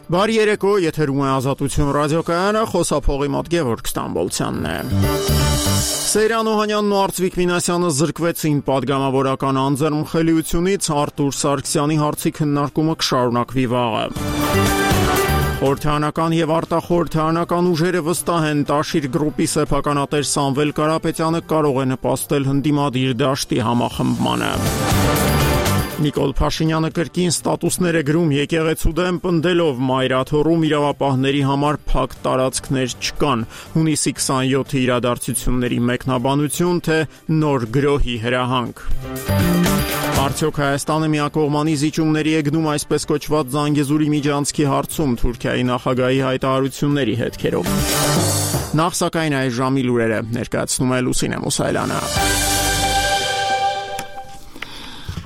Բարի երեկո, եթերում է Ազատություն ռադիոկայանը, խոսափողի մոտ Գևորգ Ստամբոլցյանն է։ Սեյրան Օհանյանն ու Արծվիկ Մինասյանը զրկվեցին պատգամավորական անձեռնմխելիությունից, Արտուր Սարգսյանի հարցի քննարկումը կշարունակվի վաղը։ Խորհրդարանական եւ արտախորհրդարանական ուժերը վստահ են, Տաշիր գրուպի սեփականատեր Սամվել Կարապետյանը կարող է նպաստել հնդիմադիր դաշտի համախմբմանը։ Նիկոլ Փաշինյանը կրկին ստատուսներ է գրում եկեղեցու դեմ, պնդելով Մայրաթոռում իրավապահների համար փակ տարածքներ չկան։ Հունիսի 27-ի իրադարձությունների մեկնաբանություն, թե նոր գրոհի հրահանգ։ Արդյոք Հայաստանը միակողմանի զիջումների է գնում այսպես կոչված Զանգեզուրի միջանցքի հարցում Թուրքիայի նախագահի հայտարարությունների հետքերով։ Նախ սակայն այս ժամի լուրերը ներկայացնում է Լուսինե Մուսայելյանը։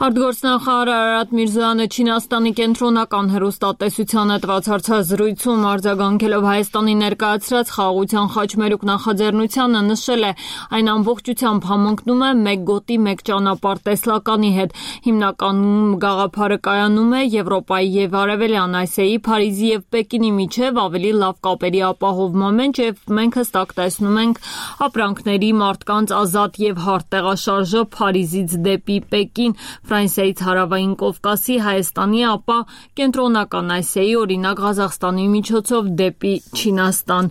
Արտգործնախարար Արարատ Միրզոյանը Չինաստանի կենտրոնական հեռուստատեսության հետ հարցազրույցում արձագանքելով Հայաստանի ներկայացրած խաղաղության խաչմերուկ նախաձեռնությանը նշել է, այն ամբողջությամբ համընկնում է մեկ գոտի մեկ ճանապարհ տեսլականի հետ։ Հիմնական գաղափարը կայանում է Եվրոպայի եւ Արևելյան Ասիայի, Փարիզի եւ Պեկինի միջև ավելի լավ կապերի ապահովման մեջ, եւ մենք հստակ տեսնում ենք ապրանքների, մարդկանց ազատ եւ հարթ տեղաշարժը Փարիզից դեպի Պեկին, Ֆրանսիայից Հարավային Կովկասի, Հայաստանի, ապա Կենտրոնական Ասիայի, օրինակ Ղազախստանի միջոցով դեպի Չինաստան։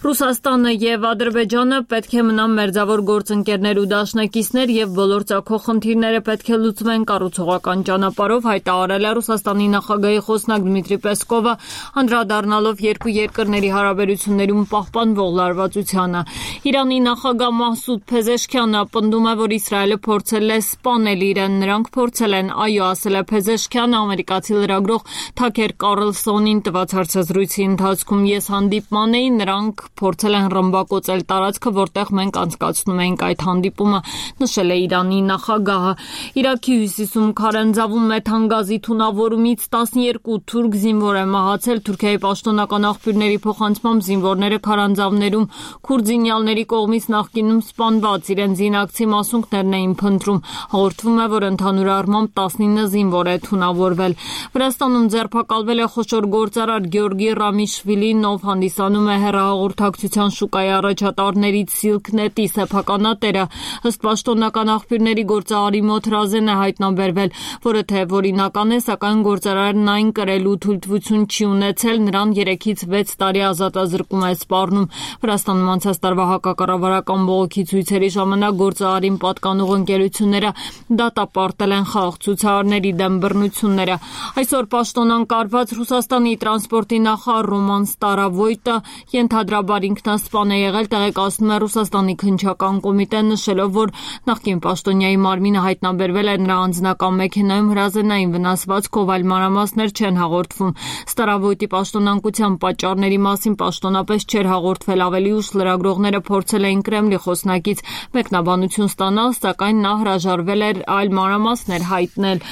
Ռուսաստանը եւ Ադրբեջանը պետք է մնան մերձավոր գործընկերներ ու դաշնակիցներ եւ բոլոր ծագող խնդիրները պետք է լուծվեն կառուցողական ճանապարհով, հայտարարել է Ռուսաստանի նախագահի խոսնակ Դմիտրի Պեսկովը, անդրադառնալով երկու երկրների հարաբերություններում պահպանվող լարվածությանը։ Իրանի նախագահ Մահսուդ Փեզեշքյանը պնդում է, որ Իսրայելը փորձել է սպանել իրեն, նրանք փորձել են, այո, ասել է Փեզեշքյանը ամերիկացի լրագրող Թաքեր Կարլսոնին տված հարցազրույցի ընթացքում։ Ես հանդիպման էի, նրանք փորձել են ռմբակոծել տարածքը, որտեղ մենք անցկացնում էինք այդ հանդիպումը, նշել է Իրանի նախագահը։ Իրաքի հյուսիսում քարանձավում մեթանգազի թունավորումից 12 թուրք զինվոր է մահացել։ Թուրքիայի պաշտոնական աղբյուրների փոխանցմամբ զինվորները քարանձավներում քուրդինյալների կողմից նախկինում սպանված իրենց զինակցի մասունքներն էին փնտրում։ Հաղորդվում է, որ ընդհանուր առմամբ 19 զինվոր է թունավորվել։ Վրաստանում ձերբակալվել է խոշոր գործարար Գյորգի Ռամիշվիլին, ով հանդիսանում է հեռահաղորդակցության շուկայի առաջատարներից Silknet-ի սեփականատերը։ Ըստ պաշտոնական աղբյուրների գործարարի մոտ հրազեն է հայտնաբերվել, որը թեև օրինական է, սակայն գործարարն այն կրելու թույլտվություն չի ունեցել, նրան 3-ից 6 տարի ազատազրկում է սպառնում։ Վրաստանում անցած տարվա հակակառավարական բողոքի ցույցերի ժամանակ գործարարին պատկանող ընկերությունները դատապարտել են խաղաղ ցուցարարների դեմ բռնությունները։ Այսօր պաշտոնան կարված Ռուսաստանի տրանսպորտի նախարար Ռոման Ստարավոյտը ենթադրաբար ինքնասպան է եղել, տեղեկացնում է Ռուսաստանի քննչական կոմիտեն, նշելով, որ նախկին պաշտոնյայի մարմինը հայտնաբերվել է նրա անձնական մեքենայում հրազենային վնասվածքով, այլ մանրամասներ չեն հաղորդվում։ Ստարավոյտի պաշտոնանկության պատճառների մասին պաշտոնապես չէր հաղորդվել, ավելի ուշ լրագրողները փորձել էին Կրեմլի խոսնակից մեկնաբանություն ստանալ, սակայն նա հրաժարվել էր այլ մանրամասներ հայտնել։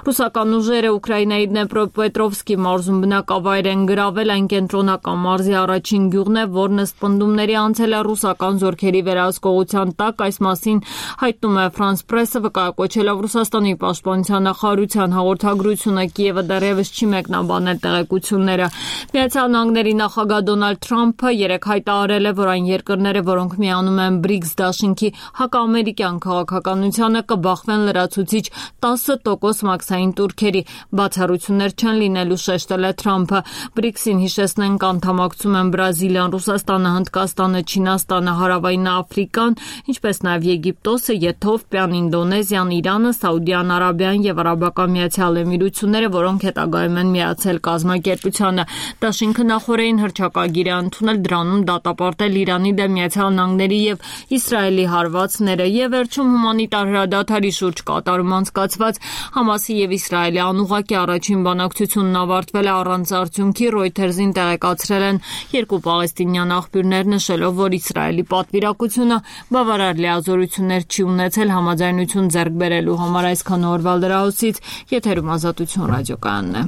Ռուսական ուժերը Ուկրաինայի Դնեպրոպետրովսկի մարզում բնակավայր են գրավել, այն կենտրոնական մարզի առաջին գյուղն է, որն ըստ պնդումների անցել է ռուսական զորքերի վերահսկողության տակ, այս մասին հայտնում է France Press-ը, վկայակոչելով Ռուսաստանի պաշտպանության նախարարության հաղորդագրությունը, Կիևը դեռևս չի մեկնաբանել տեղեկությունները։ Միացյալ Նահանգների նախագահ Դոնալդ Թրամփը երեկ հայտարարել է, որ այն երկրները, որոնք միանում են BRICS դաշինքի հակաամերիկյան քաղաքականությանը, կբախվեն լրացուցիչ 10% մաքսային տուրքերի, բացառություններ չեն լինելու, շեշտել է Թրամփը։ BRICS-ին հիշեցնենք անդամակցում են Բրազիլիան, Ռուսաստանը, Հնդկաստանը, Չինաստանը, Հարավային Աֆրիկան, ինչպես նաև Եգիպտոսը, Եթովպիան, Ինդոնեզիան, Իրանը, Սաուդյան Արաբիան եւ Արաբական Միացյալ Էմիրությունները, որոնք հետագայում են միացել կազմակերպությանը։ Դաշինքը նախորդին հռչակագիր է ընդունել, դրանում դատապարտել Իրանի դեմ Միացյալ Նահանգների եւ Իսրայելի հարվածները եւ վերջում հումանիտար հրադադարի շուրջ կատարում անցկացված Համասի եւ Իսրայելի անուղղակի առաջին բանակցությունն ավարտվել է առանց արդյունքի, Reuters-ին տեղեկացրել են երկու պաղեստինյան աղբյուրներ, նշելով, որ Իսրայելի պատվիրակությունը բավարար լիազորություններ չի ունեցել համաձայնություն ձեռք բերելու համար։ Այսքան օրվա լրահոսից եթերում Ազատություն ռադիոկայանն է։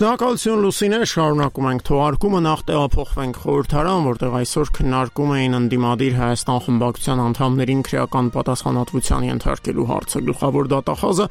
Շնորհակալություն Լուսինե, շարունակում ենք թողարկումը, նախ տեղափոխվենք խորհրդարան, որտեղ այսօր քննարկում էին ընդդիմադիր Հայաստան խմբակցության անդամներին քրեական պատասխանատվության ենթարկելու հարցը։ Գլխավոր դատախազը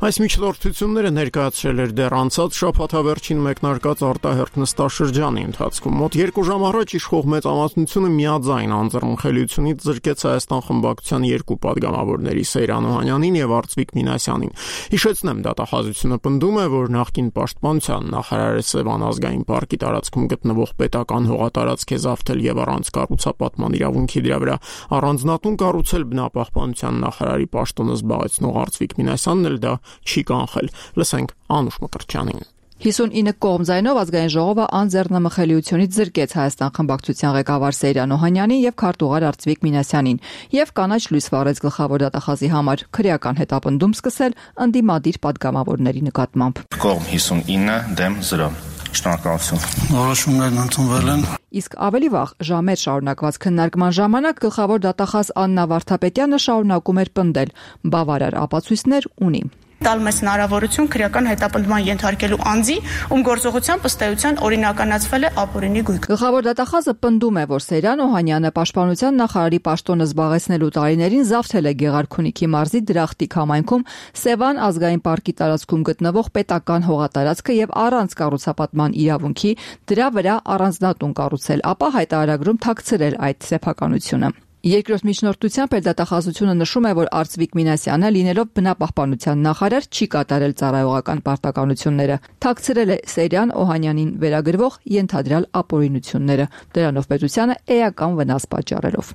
այս միջնորդությունները ներկայացրել էր դեռ անցած շաբաթավերջին մեկնարկած արտահերթ նստաշրջանի ընթացքում։ Մոտ 2 ժամ առաջ իշխող մեծամասնությունը միաձայն անձեռնխելիությունից զրկեց Հայաստան խմբակցության երկու падգամավորների Սեյրան Օհանյանին եւ Արծվիկ Մինասյանին։ Հիշեցնեմ, դատախազությունը պնդում է, որ նախկին պաշտպանության նախարարը Սևան ազգային պարկի տարածքում գտնվող պետական հողատարածք է զավթել եւ առանց կառուցապատման իրավունքի դրա վրա առանձնատուն կառուցել բնապահպանության նախարարի պաշտոնը զբաղեցնող Արծվիկ Մինասյանն էլ դա չի կանխել։ Լսենք Անուշ Մկրտչյանին։ 59 կողմ ձայնով ազգային ժողովը անձեռնմխելիությունից զրկեց Հայաստան խմբակցության ղեկավար Սեյրան Օհանյանին եւ քարտուղար Արծվիկ Մինասյանին եւ կանաչ լույս վառեց գլխավոր դատախազի համար քրեական հետապնդում սկսել ընդդիմադիր падգամավորների նկատմամբ։ Կողմ 59 դեմ 0։ Շնորհակալություն։ Որոշումներն ընդունվել են։ Իսկ ավելի վաղ ժամեր շարունակված քննարկման ժամանակ գլխավոր դատախազ Աննա Վարդապետյանը շարունակում էր պնդել բավարար ապացույցներ ունի։ Տալ մեզ հնարավորություն քրեական հետապնդման ենթարկելու անձի, ում գործողությամբ ըստ էության օրինականացվել է ապօրինի գույք։ Գլխավոր դատախազը պնդում է, որ Սեյրան Օհանյանը պաշտպանության նախարարի պաշտոնը զբաղեցնելու տարիներին զավթել է Գեղարքունիքի մարզի Դրախտիկ համայնքում Սևան ազգային պարկի տարածքում գտնվող պետական հողատարածքը եւ առանց կառուցապատման իրավունքի դրա վրա առանձնատուն կառուցել, ապա հայտարարագրում թաքցրել այդ սեփականությունը։ Երկրորդ միջնորդությամբ դատախազությունը նշում է, որ Արծվիկ Մինասյանը լինելով բնապահպանության նախարար չի կատարել ծառայողական պարտականությունները, թաքցրել է Սեյրան Օհանյանին վերագրվող ենթադրյալ ապօրինությունները, դրանով պետությանը էական վնաս պատճառելով։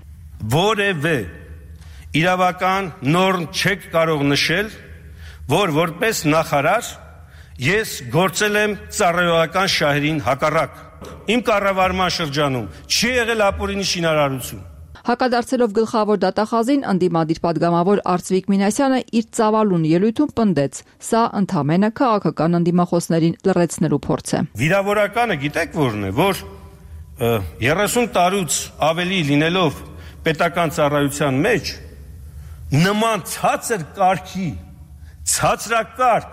Որևէ իրավական նորմ չեք կարող նշել, որ որպես նախարար ես գործել եմ ծառայողական շահերին հակառակ։ Իմ կառավարման շրջանում չի եղել ապօրինի շինարարություն։ Հակադարձելով գլխավոր դատախազին, ընդդիմադիր падգամավոր Արծվիկ Մինասյանը իր ծավալուն ելույթում պնդեց. սա ընդամենը քաղաքական ընդդիմախոսներին լռեցնելու փորձ է։ Վիրավորականը գիտեք որն է, որ 30 տարուց ավելի լինելով պետական ծառայության մեջ նման ցածր կարգի, ցածրակարգ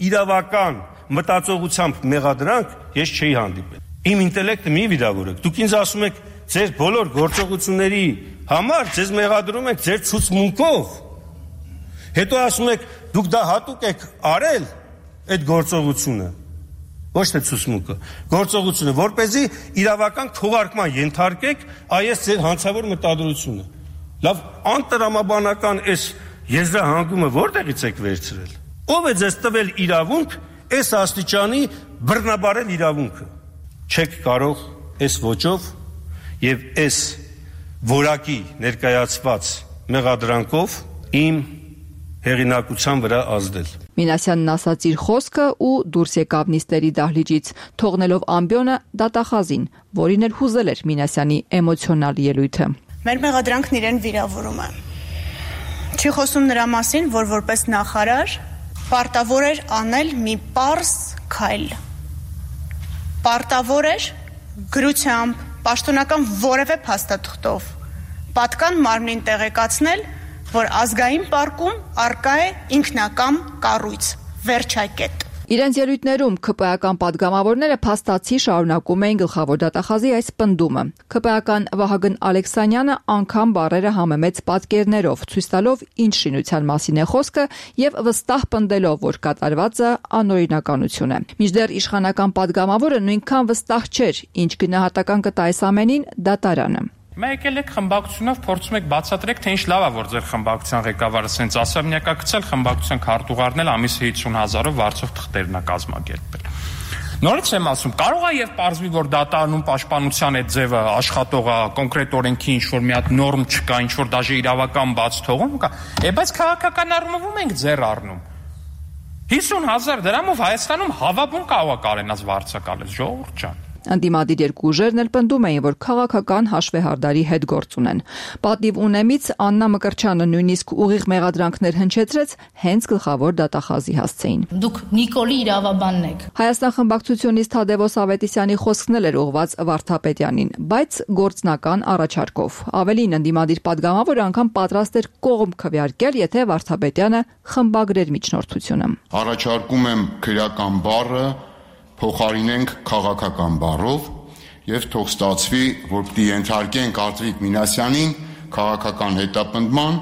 իրավական մտածողությամբ մեղադրանք ես չէի հանդիպել։ Իմ ինտելեկտը մի վիրավորեք։ Դուք ինձ ասում եք ձեր բոլոր գործողությունների համար ձեզ մեղադրում եք ձեր ցուցմունքով։ Հետո ասում եք դուք դա հատուկ եք արել այդ գործողությունը։ Ոչ թե ցուցմունքը, գործողությունը, որպեսզի իրավական քողարկման ենթարկեք այս ձեր հանցավոր մտադրությունը։ Լավ, անտրամաբանական այս եզրահանգումը որտեղից եք վերցրել։ Ո՞վ է ձեզ տվել իրավունք այս աստիճանի բռնաբարել իրավունքը։ Չեք կարող այս ոճով եւ այս որակի ներկայացված մեղադրանքով իմ հեղինակության վրա ազդել։ Մինասյանն ասաց իր խոսքը ու դուրս եկավ նիստերի դահլիճից, թողնելով ամբիոնը դատախազին, որին էլ հուզել էր Մինասյանի էմոցիոնալ ելույթը։ Մեր մեղադրանքն իրեն վիրավորում է։ Չի խոսում նրա մասին, որ որպես նախարար պարտավոր էր անել մի պարզ քայլ։ Պարտավոր էր գրությամբ, պաշտոնական որևէ փաստաթղթով պատկան մարմնին տեղեկացնել, որ ազգային պարկում արկա է ինքնակամ կառույց, վերջակետ։ Իրենց ելույթներում ՔՊԱ-ական падգամավորները փաստացի շարունակում էին գլխավոր դատախազի այս պնդումը։ ՔՊԱ-ական Վահագն Ալեքսանյանը անգամ բառերը համեմեց պատկերներով, ցույց տալով ինչ շինության մասին է խոսքը եւ վստահ պնդելով, որ կատարվածը անօրինականություն է։ Մինչդեռ իշխանական падգամավորը նույնքան վստահ չէր, ինչ գնահատական կտա այս ամենին դատարանը։ Մենք եկել եք խմբակցությունով փորձում եք բացատրեք, թե ինչ լավ է, որ ձեր խմբակցության ղեկավարը սենց ասաբնյակա գցել, խմբակցության քարտուղարն էլ ամիսը 50,000-ով վարձով թղթերն է կազմակերպել։ Նորից եմ ասում, կարող է եւ պարզվի, որ դատարանում պաշտպանության այդ ձևը աշխատող է, կոնկրետ օրենքի ինչ որ մի հատ նորմ չկա, ինչ որ դաժե իրավական բաց թողում կա, բայց քաղաքական առումով ենք ձեռ առնում։ 50,000 դրամով Հայաստանում հավաբուն կարող է կարենաց վարձակալել, ժողովուրդ ջան։ Ընդդիմադիր երկու ուժերն էլ պնդում էին, որ քաղաքական հաշվեհարդարի հետ գործ ունեն։ Պատիվ ունեմից Աննա Մկրտչյանը նույնիսկ ուղիղ մեղադրանքներ հնչեցրեց հենց գլխավոր դատախազի հասցեին։ Դուք Նիկոլի իրավաբանն եք։ Հայաստան խմբակցությունից Թադևոս Ավետիսյանի խոսքն էլ էր ուղղված Վարդապետյանին, բայց գործնական առաջարկով։ Ավելին, ընդդիմադիր падգամավորը անգամ պատրաստ էր կողմ քվեարկել, եթե Վարդապետյանը խմբագրեր միջնորդությունը։ Առաջարկում եմ քրեական բառը փոխարինենք քաղաքական բառով եւ թող ստացվի, որ պիտի ենթարկենք Արտվիկ Մինասյանին քաղաքական հետապնդման,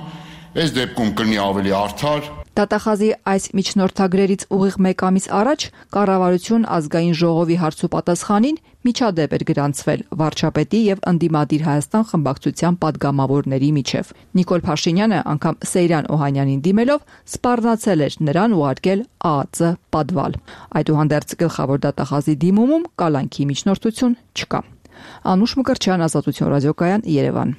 այս դեպքում կլինի ավելի արդար։ Դատախազի այս միջնորդագրերից ուղիղ 1 ամիս առաջ Կառավարություն ազգային ժողովի հարցուպատասխանին միջադեպ էր գրանցվել վարչապետի եւ ընդդիմադիր Հայաստան խմբակցության падգամավորների միջև։ Նիկոլ Փաշինյանը անգամ Սեյրան Օհանյանին դիմելով սպառնացել էր նրան ուղարկել ԱԱԾ պատվալ։ Այդուհանդերձ գլխավոր դատախազի դիմումում կալանքի միջնորդություն չկա։ Անուշ Մկրտչյան, Ազատություն ռադիոկայան, Երևան։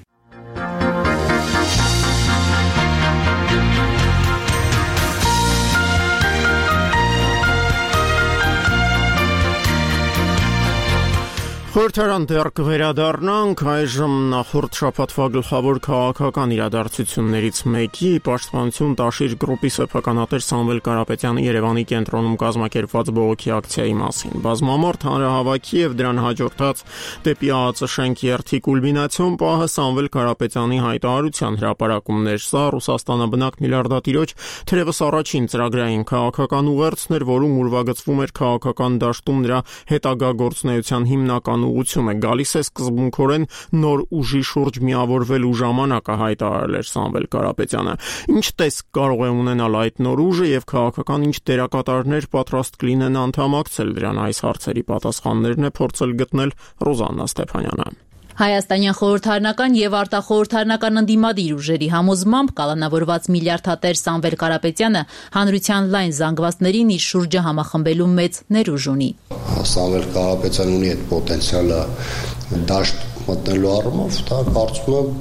Խորհրդարան դեռ կվերադառնանք այժմ նախորդ շաբաթվա գլխավոր քաղաքական իրադարձություններից մեկի Պաշտպանություն Տաշիր գրուպի սեփականատեր Սամվել Կարապետյանի Երևանի կենտրոնում կազմակերպված բողոքի ակցիայի մասին։ Բազմամարդ հանրահավաքի եւ դրան հաջորդած դեպի ԱԱԾ շենքի երթի կուլմինացիոն պահը Սամվել Կարապետյանի հայտարարության հրապարակումներ։ Սա Ռուսաստանաբնակ միլիարդատիրոջ թերևս առաջին ծրագրային քաղաքական ուղերձն էր, որում ուրվագծվում էր քաղաքական դաշտում նրա հետագա գործունեության հիմնական ուղղությունը գալիս է սկզբունքորեն նոր ուժի շուրջ միավորվելու ժամանակը հայտարարել էր Սամվել Կարապետյանը։ Ինչ տեսք կարող է ունենալ այդ նոր ուժը եւ քաղաքական ինչ դերակատարներ պատրաստ կլինեն անդամակցել դրան, այս հարցերի պատասխաններն է փորձել գտնել Ռոզաննա Ստեփանյանը։ Հայաստանյան խորհրդարանական եւ արտախորհրդարանական ընդդիմադիր ուժերի համոզմամբ կալանավորված միլիարդատեր Սամվել Կարապետյանը հանրության լայն զանգվածներին իր շուրջը համախմբելու մեծ ներուժ ունի։ Սամվել Կարապետյանը ունի այդ պոտենցիալը դաշտ մտնելու առումով, դա կարծում եմ,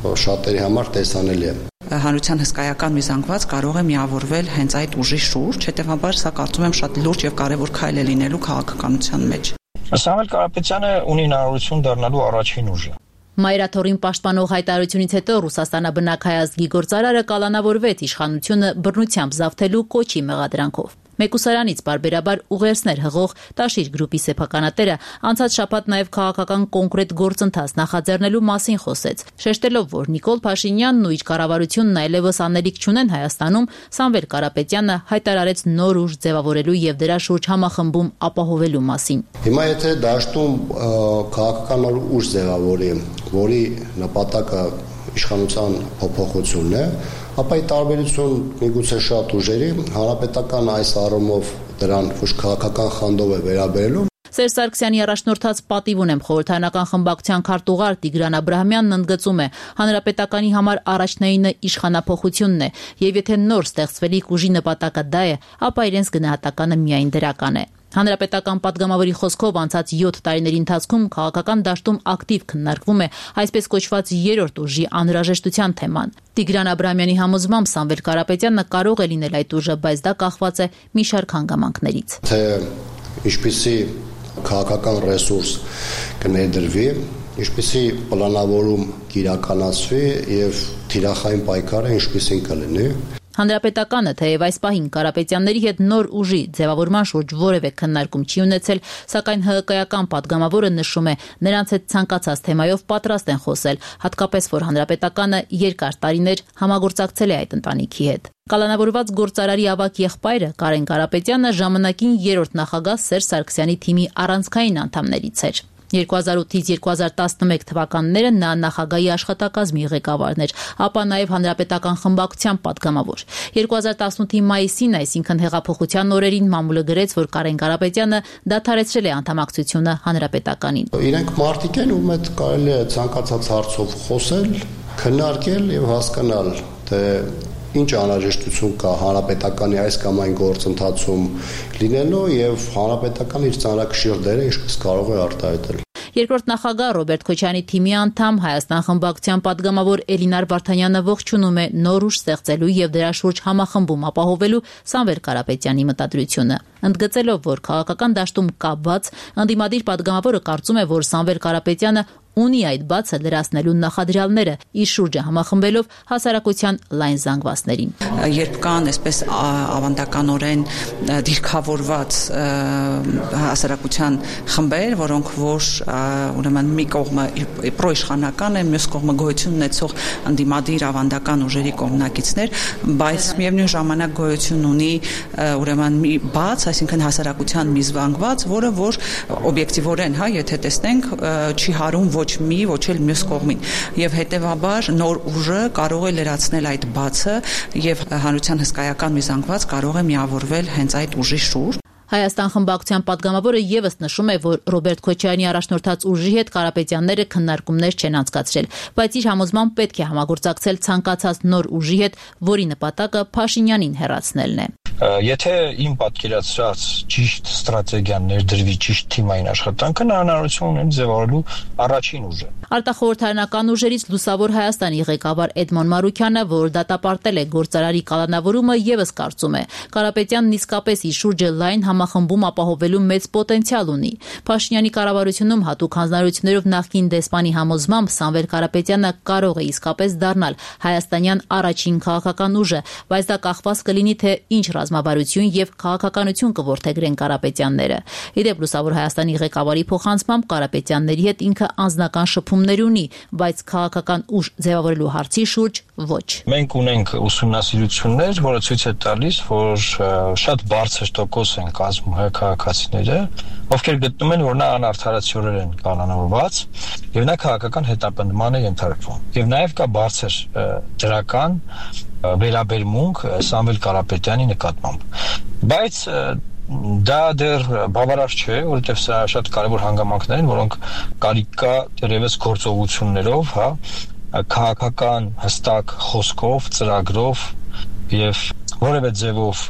որ շատերի համար տեսանելի է։ Հանրության հսկայական մի զանգված կարող է միավորվել հենց այդ ուժի շուրջ, հետեւաբար սա կարծում եմ շատ լուրջ եւ կարեւոր քայլ է լինելու քաղաքականության մեջ։ Սամվել Կարապետյանը ունի հնարավորություն դառնալու առաջին ուժը։ Մայրաթորին պաշտպանող հայտարարությունից հետո Ռուսաստանաբնակ հայ ազգի գործարարը կալանավորվեց իշխանությունը բռնությամբ զավթելու կոչի մեղադրանքով։ Մեկուսարանից բարբերաբար ուղերձներ հղող Տաշիր գրուպի սեփականատերը անցած շաբաթ նաև քաղաքական կոնկրետ գործընթաց նախաձեռնելու մասին խոսեց, շեշտելով, որ Նիկոլ Փաշինյանն ու իր կառավարությունն այլևս անելիք չունեն Հայաստանում, Սամվել Կարապետյանը հայտարարեց նոր ուժ ձևավորելու եւ դրա շուրջ համախմբում ապահովելու մասին։ Հիմա եթե դաշտում քաղաքական ուժ ձևավորի, որի նպատակը իշխանության փոփոխությունն է, ապա ի տարբերություն միգուցե շատ ուժերի, հանրապետական այս առումով դրան ոչ քաղաքական խանդով է վերաբերելու։ Սերժ Սարգսյանի առաջնորդած պատիվ ունեմ խորհրդարանական խմբակցության քարտուղար Տիգրան Աբրահամյանն ընդգծում է, հանրապետականի համար առաջնայինը իշխանափոխությունն է, եւ եթե նոր ստեղծվելիք ուժի նպատակը դա է, ապա իրենց գնահատականը միայն դրական է։ Հանրապետական падգամավորի խոսքով անցած 7 տարիների ընթացքում քաղաքական դաշտում ակտիվ քննարկվում է այսպես կոչված երրորդ ուժի անհրաժեշտության թեման։ Տիգրան Աբրահամյանի համոզմամբ Սամվել Կարապետյանը կարող է լինել այդ ուժը, բայց դա կախված է մի շարք հանգամանքներից։ Թե ինչպիսի քաղաքական ռեսուրս կներդրվի, ինչպիսի պլանավորում կիրականացվի եւ թիրախային պայքարը ինչպիսին կլինի։ Հանրապետականը թեև այս պահին Կարապետյանների հետ նոր ուժի ձևավորման շուրջ որևէ քննարկում չի ունեցել, սակայն ՀՀԿ-ական падգամավորը նշում է, նրանց հետ ցանկացած թեմայով պատրաստ են խոսել, հատկապես որ Հանրապետականը երկար տարիներ համագործակցել է այդ ընտանիքի հետ։ Կալանավորված գործարարի ավագ եղբայրը Կարեն Կարապետյանը ժամանակին երրորդ նախագահ Սերժ Սարգսյանի թիմի առանցքային անդամներից էր։ 2008-ից 2011 թվականները նա նախագահի աշխատակազմի ղեկավարն էր, ապա նաև հանրապետական խմբակցության падգամավոր։ 2018-ի մայիսին, այսինքն հեղափոխության օրերին, մամուլը գրեց, որ Կարեն Կարապետյանը դադարեցրել է անդամակցությունը հանրապետականին։ Իրենք մարդիկ են, ում հետ կարելի է ցանկացած հարցով խոսել, քննարկել եւ հասկանալ, թե ինչ անհրաժեշտություն կա հանրապետականի այս կամ այն գործընթացում լինելու եւ հանրապետական իր ծանրակշիռ դերը ինչպես կարող է արտահայտել։ Երկրորդ նախագահ Ռոբերտ Քոչարյանի թիմի անդամ Հայաստան խմբակցության падգամավոր Էլինար Վարդանյանը ողջունում է նոր ուժ ստեղծելու եւ դրա շուրջ համախմբում ապահովելու Սամվել Կարապետյանի մտադրությունը։ Ընդգծելով, որ քաղաքական դաշտում կա բաց, ընդդիմադիր падգամավորը կարծում է, որ Սամվել Կարապետյանը ունի այդ բացը լրացնելու նախադրյալները, իր շուրջը համախմբելով հասարակության լայն զանգվածներին։ Երբ կան այսպես ավանդականորեն դիրքավորված հասարակության խմբեր, որոնք որ ուրեմն մի կողմը պրոիշխանական են, մյուս կողմը գոյություն ունեցող ընդդիմադիր ավանդական ուժերի կողմնակիցներ, բայց միևնույն ժամանակ գոյություն ունի ուրեմն մի բաց, այսինքն հասարակության մի զանգված, որը որ օբյեկտիվորեն, եթե տեսնենք, չի հարում ոչ մի, ոչ էլ մյուս կողմին, եւ հետեւաբար նոր ուժը կարող է լրացնել այդ բացը եւ հանրության հսկայական մի զանգված կարող է միավորվել հենց այդ ուժի շուրջ։ Հայաստան խմբակցության պատգամավորը եւս նշում է, որ Ռոբերտ Քոչարյանի առաջնորդած ուժի հետ Կարապետյանները քննարկումներ չեն անցկացրել, բայց իր համոզմամբ պետք է համագործակցել ցանկացած նոր ուժի հետ, որի նպատակը Փաշինյանին հեռացնելն է։ Եթե իմ պատկերացրած ճիշտ ստրատեգիան ներդրվի ճիշտ թիմային աշխատանքը, նա հնարավորություն ունի ձևավորելու առաջին ուժը։ Արտախորհրդարանական ուժերից Լուսավոր Հայաստանի ղեկավար Էդմոն Մարուքյանը, որ դատապարտել է գործարարի կալանավորումը, եւս կարծում է, Կարապետյանն իսկապես իր շուրջը լայն համախմբում ապահովելու մեծ պոտենցիալ ունի։ Փաշինյանի կառավարությունում հատուկ հանձնարարություններով նախկին դեսպանի համոզմամբ Սամվել Կարապետյանը կարող է իսկապես դառնալ հայաստանյան առաջին քաղաքական ուժը, բայց դա կախված կլինի թե ինչ ռազմավարություն եւ քաղաքականություն կորդեգրեն Կարապետյանները։ Իդեպ Լուսավոր Հայաստանի ղեկավարի փոխանցմամբ Կարապետյանների հետ ինքը անձնական շփումներ ունի, բայց քաղաքական ուժ ձևավորելու հարցի շուրջ ոչ։ Մենք ունենք ուսումնասիրություններ, որը ցույց է տալիս, որ շատ բարձր տոկոս են կազմում հայ քաղաքացիները, ովքեր գտնում են, որ նա անարդարացիորեն են կանոնավորված եւ նա քաղաքական հետապնդման է ենթարկվում։ Եվ նաեւ կա բարձր դրական վերաբերմունք Սամվել Կարապետյանի նկատմամբ։ Բայց դա դեռ բավարար չէ, որովհետև սա շատ կարևոր հանգամանքներ են, որոնք կարիք կա դեռևս գործողություններով, քաղաքական հստակ խոսքով, ծրագրով եւ որևէ ձևով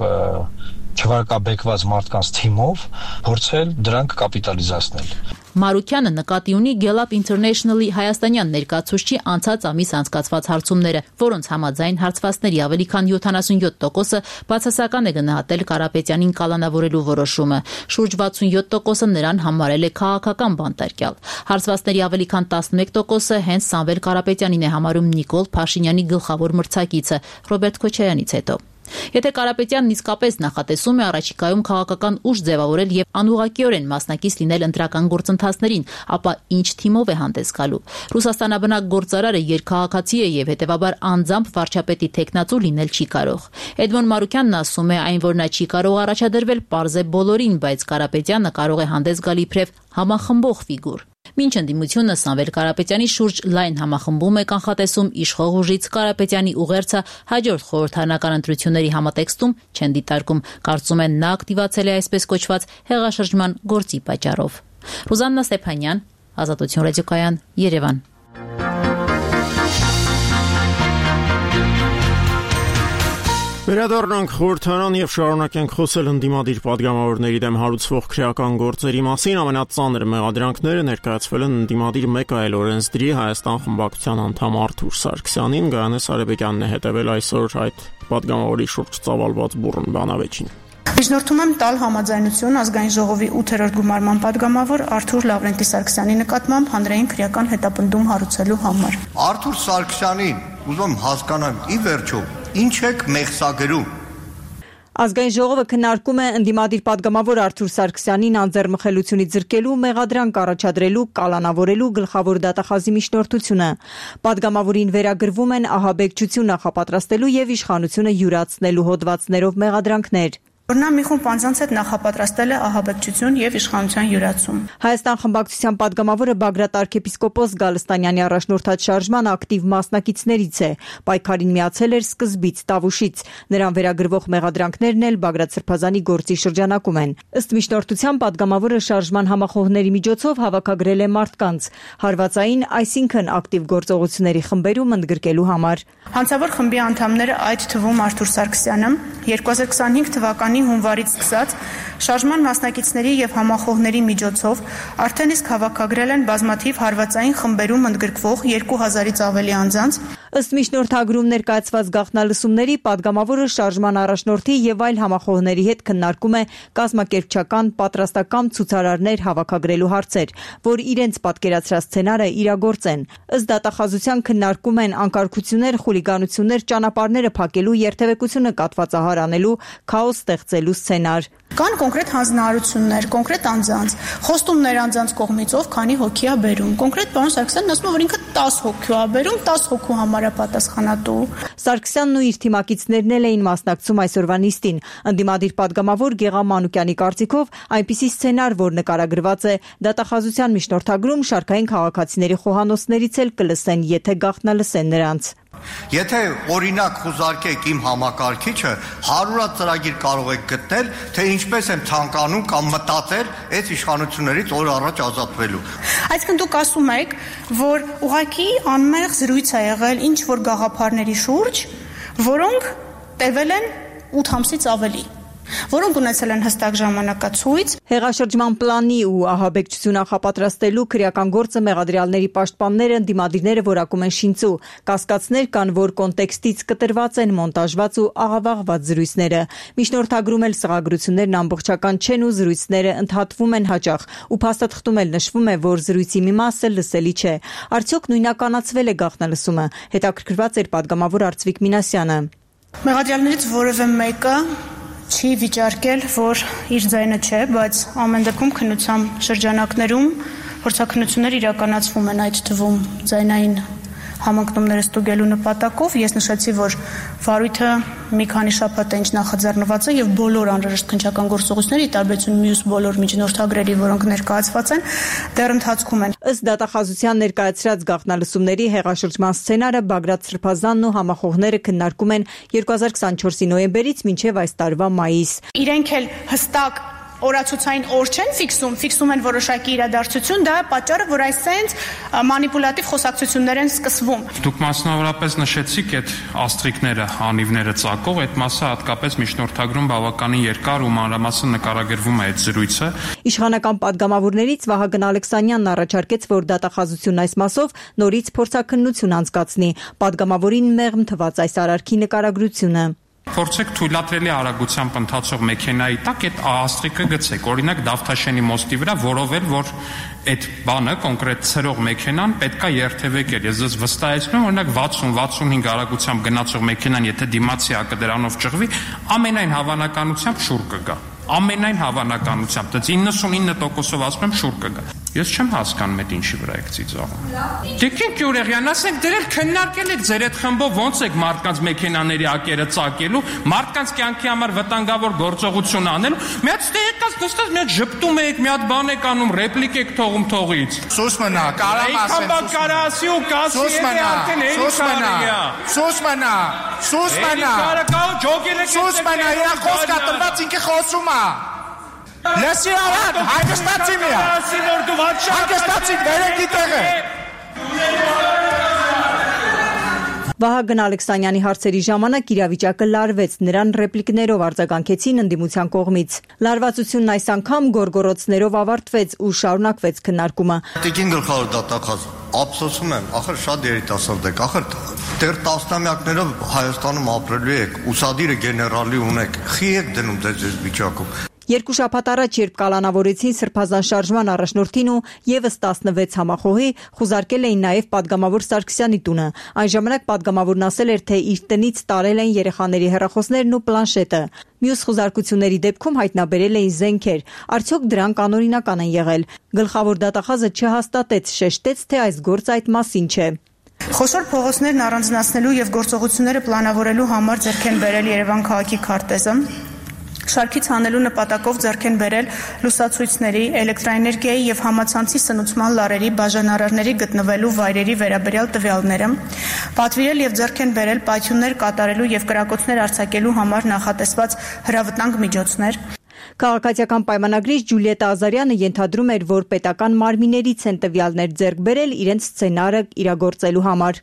չվարկաբեկված մարդկանց թիմով փորձել դրանք կապիտալիզացնել։ Մարուքյանը նկատի ունի Gallup International-ի հայաստանյան ներկայացուցչի անցած ամիս անցկացված հարցումները, որոնց համաձայն հարցվածների ավելի քան 77%-ը բացասական է գնահատել Կարապետյանին կալանավորելու որոշումը։ Շուրջ 67%-ը նրան համարել է քաղաքական բանտարկյալ։ Հարցվածների ավելի քան 11%-ը հենց Սամվել Կարապետյանին է համարում Նիկոլ Փաշինյանի գլխավոր մրցակիցը Ռոբերտ Քոչարյանից հետո։ Եթե Կարապետյանն իսկապես նախատեսում է առաջիկայում քաղաքական ուժ ձևավորել եւ անուղղակիորեն մասնակից լինել ընտրական գործընթացներին, ապա ինչ թիմով է հանդես գալու։ Ռուսաստանաբնակ գործարարը երկքաղաքացի է եւ հետեւաբար անձամբ վարչապետի տեխնացու լինել չի կարող։ Էդմոն Մարուքյանն ասում է, այն որ նա չի կարող առաջադրվել պարզ է բոլորին, բայց Կարապետյանը կարող է հանդես գալ իբրև համախմբող ֆիգուր։ Մինչ ընդդիմությունը Սամվել Կարապետյանի շուրջ լայն համախմբում է կանխատեսում իշխող ուժից Կարապետյանի ուղերձը հաջորդ խորհրդարանական ընտրությունների համատեքստում չեն դիտարկում, կարծում են նա ակտիվացել է այսպես կոչված հեղաշրջման գործի պատճառով։ Ռուզաննա Ստեփանյան, Ազատություն ռադիոկայան, Երևան։ Վերադառնանք խորհրդարան եւ շարունակենք խոսել ընդդիմադիր պատգամավորների դեմ հարուցվող քրեական գործերի մասին։ Ամենածանր մեղադրանքները ներկայացվել են ընդդիմադիր մեկ այլ օրենսդրի Հայաստան խմբակցության անդամ Արթուր Սարգսյանին։ Գայանես Արեբեկյանն է հետևել այսօր այդ պատգամավորի շուրջ ծավալված բուռն բանավեճին։ Միջնորդում եմ տալ համաձայնություն ազգային ժողովի 8-րդ գումարման падգամավոր Արթուր Լավրենտի Սարգսյանի նկատմամբ հանրային քրեական հետապնդում հարուցելու համար։ Արթուր Սարգսյանին ուզում եմ հասկանամ ի վերջո ինչ եք մեղսագրում։ Ազգային ժողովը քննարկում է ընդդիմադիր падգամավոր Արթուր Սարգսյանին անձեռմխելությունից զրկելու, մեղադրանք առաջադրելու, կալանավորելու գլխավոր դատախազի միջնորդությունը։ Падգամավորին վերագրվում են ահաբեկչություն նախապատրաստելու եւ իշխանությունը յուրացնելու հոդվածներով մեղադրանքներ։ Որ նա մի խումբ անձանց հետ նախապատրաստել է ահաբեկչություն եւ իշխանության յուրացում։ Հայաստան խմբակցության падգամավորը Բագրատ arczepiskopos Գալստանյանի առաջնորդած շարժման ակտիվ մասնակիցներից է։ Պայքարին միացել էր սկզբից, տավուշից։ Նրան վերագրվող մեղադրանքներն էլ Բագրատ Սրբազանի գործի շրջանակում են։ Ըստ միջնորդության падգամավորը շարժման համախոհների միջոցով հավաքագրել է մարդկանց հարվածային, այսինքն ակտիվ գործողությունների խմբերում ընդգրկելու համար։ Հանցավոր խմբի անդամները, այդ թվում Արթուր Սարգսյանը, 2025 թվականի հունվարից սկսած շարժման մասնակիցների եւ համախոհների միջոցով արդեն իսկ հավաքագրել են բազմաթիվ հարվածային խմբերում ընդգրկվող 2000-ից ավելի անձանց։ Ըստ միջնորդագրում ներկայացված գաղտնալսումների падգամավորը շարժման առաջնորդի եւ այլ համախոհների հետ քննարկում է կազմակերպչական պատրաստակամ ցուցարարներ հավաքագրելու հարցեր, որ իրենց պատկերացրած սցենարը իրագործեն։ Ըստ դատախազության քննարկում են անկարգություններ, խուլիգանություններ, ճանապարհները փակելու, երթևեկությունը կատվածահար անելու, քաոս ստեղծելու սցենար։ Կան կոնկրետ հանձնարարություններ, կոնկրետ անձանց, խոստումներ անձանց կողմից, ով քանի հոգի է բերում։ Կոնկրետ պարոն Սարգսյանն ասում է, որ ինքը 10 հոգի է բերում, 10 հոգու համար է պատասխանատու։ Սարգսյանն ու իր թիմակիցներն էին մասնակցում այսօրվա նիստին։ Ընդդիմադիր падգամավոր Գեղամ Մանուկյանի կարծիքով այնպիսի սցենար, որ նկարագրված է դատախազության միջնորդագրում, շարքային քաղաքացիների խոհանոցներից էլ կլսեն, եթե գաղտնալսեն նրանց։ Եթե օրինակ խուզարկեք իմ համակարգիչը, 100 ծրագիր կարող եք գտնել, թե ինչպես եմ ցանկանում կամ մտածել այս իշխանություններից օր առաջ ազատվելու։ Այսինքն դուք ասում եք, որ ուղղակի անմեղ զրույց է եղել ինչ որ գաղափարների շուրջ, որոնք տևել են 8 ամսից ավելի, որոնք ունեցել են հստակ ժամանակացույց։ Հեղաշրջման պլանի ու ահաբեկչություն նախապատրաստելու քրեական գործը մեղադրյալների պաշտպանները, ընդդիմադիրները որակում են շինծու։ Կասկածներ կան, որ կոնտեքստից կտրված են մոնտաժված ու աղավաղված զրույցները։ Միջնորդագրում էլ սղագրություններն ամբողջական չեն ու զրույցները ընդհատվում են հաճախ, ու փաստաթղթում էլ նշվում է, որ զրույցի մի մասը լսելի չէ։ Արդյոք նույնականացվել է գաղտնալսումը։ Հետաքրքրված էր падգամավոր Արծվիկ Մինասյանը։ Մեղադրյալներից որևէ մեկը չի վիճարկել, որ իր ձայնը չէ, բայց ամեն դեպքում քննության շրջանակներում փորձաքննություններ իրականացվում են, այդ թվում ձայնային համընկնումները ստուգելու նպատակով։ Ես նշեցի, որ վարույթը մի քանի շաբաթ է ինչ նախաձեռնված է եւ բոլոր անհրաժեշտ քննչական գործողությունների, ի տարբերություն մյուս բոլոր միջնորդագրերի, որոնք ներկայացված են, դեռ ընթացքում են։ Ըստ դատախազության ներկայացրած գաղտնալսումների հեղաշրջման սցենարը Բագրատ Սրբազանն ու համախոհները քննարկում են 2024-ի նոյեմբերից մինչև այս տարվա մայիս։ Իրենք էլ հստակ օրացուցային օր չեն ֆիքսում են որոշակի իրադարձություն, դա է պատճառը, որ այսենց մանիպուլատիվ խոսակցություններ են սկսվում։ Դուք մասնավորապես նշեցիք այդ աստրիկները, անիվները ծակող, այդ մասը հատկապես միջնորդագրում բավականին երկար ու մանրամասն նկարագրվում է այդ զրույցը։ Իշխանական падգամավորներից Վահագն Ալեքսանյանն առաջարկեց, որ դատախազությունն այս մասով նորից փորձաքննություն անցկացնի։ Падգամավորին մեղմ թվաց այս արարքի նկարագրությունը։ Փորձեք թույլատրելի արագությամբ ընթացող մեքենայի տակ այդ աստրիկը գցեք, օրինակ Դավթաշենի մոստի վրա, որովհետև որ այդ բանը կոնկրետ ցրող մեքենան պետքա երթևեկել։ Ես ձեզ վստահեցնում եմ, օրինակ 60-65 արագությամբ գնացող մեքենան, եթե դիմացի հակը դրանով ճղվի, ամենայն հավանականությամբ շուռ կգա։ Ամենայն հավանականությամբ, դա 99%-ով ասում եմ շուռ կգա։ Ես չեմ հասկանում այդ ինչի վրա եք ծիծաղում։ Տիկին Գյուրեղյան, ասենք դրել քննարկել եք ձեր այդ խմբով ոնց եք մարդկանց մեքենաների ակերը ծակելու, մարդկանց կյանքի համար վտանգավոր գործողություն անելու։ Մի հատ ստեյկած նստած մի հատ ժպտում եք, մի հատ բան եք անում, ռեպլիկ եք թողում թողից։ Սուս մնա, կարամ ասեմ։ Քամբա կարասի ու կասի է արդեն Սուս մնա։ Սուս մնա։ Կարակալ ջոգել եք։ Սուս մնա, իր խոսքա տրված ինքը խոսում է։ Լսի արդ, հանգստացի միա։ Հանգստացի, վերեք իտեղը։ Վահագն Ալեքսանյանի հարցերի ժամանակ իրավիճակը լարվեց, նրան ռեպլիկներով արձագանքեցին ընդդիմության կողմից։ Լարվածությունն այս անգամ գորգորոցներով ավարտվեց ու շարունակվեց քննարկումը։ Տիկին գլխավոր դատախազ, ափսոսում եմ, ախր շատ երիտասարդ եք, ախր դեռ տասնամյակներով Հայաստանում ապրելու եք, ուսադիրը գեներալի ունեք, խի եք դնում ձեզ այս վիճակում։ Երկու շաբաթ առաջ, երբ կալանավորեցին Սրբազան շարժման առաջնորդին ու եւս 16 համախոհի, խուզարկել էին նաեւ падգամավոր Սարգսյանի տունը։ Այն ժամանակ падգամավորն ասել էր, թե իր տնից տարել են երեխաների հեռախոսներն ու պլանշետը։ Մյուս խուզարկությունների դեպքում հայտնաբերել էին զենքեր։ Արդյոք դրանք անօրինական են եղել։ Գլխավոր դատախազը չհաստատեց, շեշտեց, թե այս գործը այդ մասին չէ։ Խոշոր փողոցներն առանձնացնելու եւ գործողությունները պլանավորելու համար ձեռք են բերել Երևան քաղաքի քարտեզը։ Շարքից հանելու նպատակով ձեռք են բերել լուսացույցների, էլեկտրաէներգիայի եւ համացանցի սնուցման լարերի բաժանարարների գտնվելու վայրերի վերաբերյալ տվյալները, պատվիրել եւ ձեռք են բերել պայթյուններ կատարելու եւ կրակոցներ արձակելու համար նախատեսված հրավտանգ միջոցներ։ Քաղաքացիական պայմանագրիչ Ջուլիետա Ազարյանը ենթադրում էր, որ պետական մարմիններից են տվյալներ ձեռք բերել իրենց սցենարը իրագործելու համար։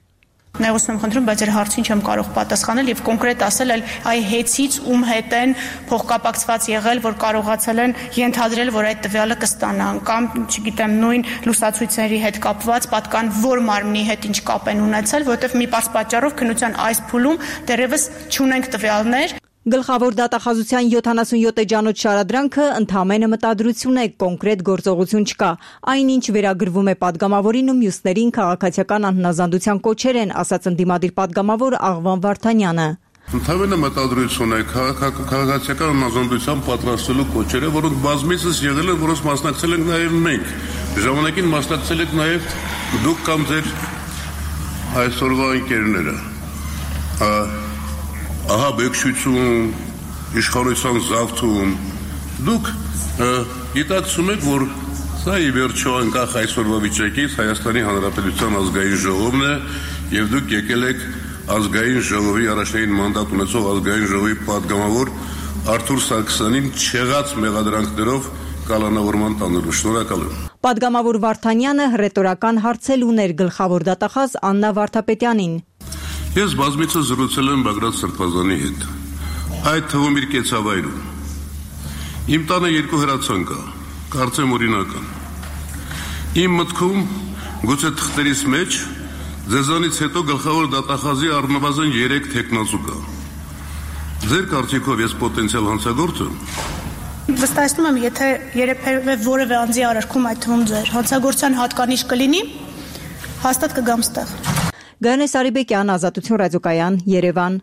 Նեղություն եմ խնդրում, բայց իր հարցին չեմ կարող պատասխանել եւ կոնկրետ ասել այ հետից ում հետ են փոխկապակցված եղել, որ կարողացել են ենթադրել, որ այդ տվյալը կստանան կամ, չգիտեմ, նույն լուսացույցերի հետ կապված պատկան որ մարմնի հետ ինչ կապ են ունեցել, որովհետեւ մի պարզ պատճառով քննության այս փուլում դեռևս չունենք տվյալներ։ Գլխավոր դատախազության 77 էջանոց շարադրանքը ընդհանրապես մտադրություն է, կոնկրետ գործողություն չկա։ Այնինչ վերագրվում է падգամավորին ու մյուսներին քաղաքացիական անհնազանդության կոչեր են, ասաց ընդդիմադիր падգամավոր Աղվան Վարդանյանը։ Ընդհանրապես մտադրություն է քաղաքացիական անհնազանդության պատրաստելու կոչերը, որոնք բազմիցս եղել են, որոնց մասնակցել ենք նաև մենք։ Ժամանակին մասնակցել եք նաև դուք կամ ձեր այսօրվա ընկերները։ Ահա բեկչություն, իշխանության զավթում, դուք գիտակցում եք, որ սա ի վերջո անկախ այսօրվա վիճակից Հայաստանի Հանրապետության ազգային ժողովն է եւ դուք եկել եք ազգային ժողովի առաջին մանդատ ունեցող ազգային ժողովի падգամավոր Արթուր Սարգսյանին չեղած մեղադրանքներով կալանավորման տանելու։ Շնորհակալ եմ։ Падգամավոր Վարդանյանը հռետորական հարցել ուներ գլխավոր դատախազ Աննա Վարդապետյանին։ Ես բազմիցս զրուցել եմ Բագրատ Սրբազանի հետ, այդ թվում իր կեցավայրում։ Իմ տանը 2 հրացան կա, կարծեմ օրինական։ Իմ մտքում գուցե թղթերիս մեջ ձեզանից հետո գլխավոր դատախազի առնվազն 3 թեկնածու կա։ Ձեր կարծիքով ես պոտենցիալ հանցագործ եմ։ Վստահեցնում եմ, եթե երբևէ որևէ անձի արարքում այդ թվում ձեր հանցագործության հատկանիշ կլինի, հաստատ կգամ ստեղ։ Գայանե Սարիբեկյան, Ազատություն ռադիոկայան, Երևան։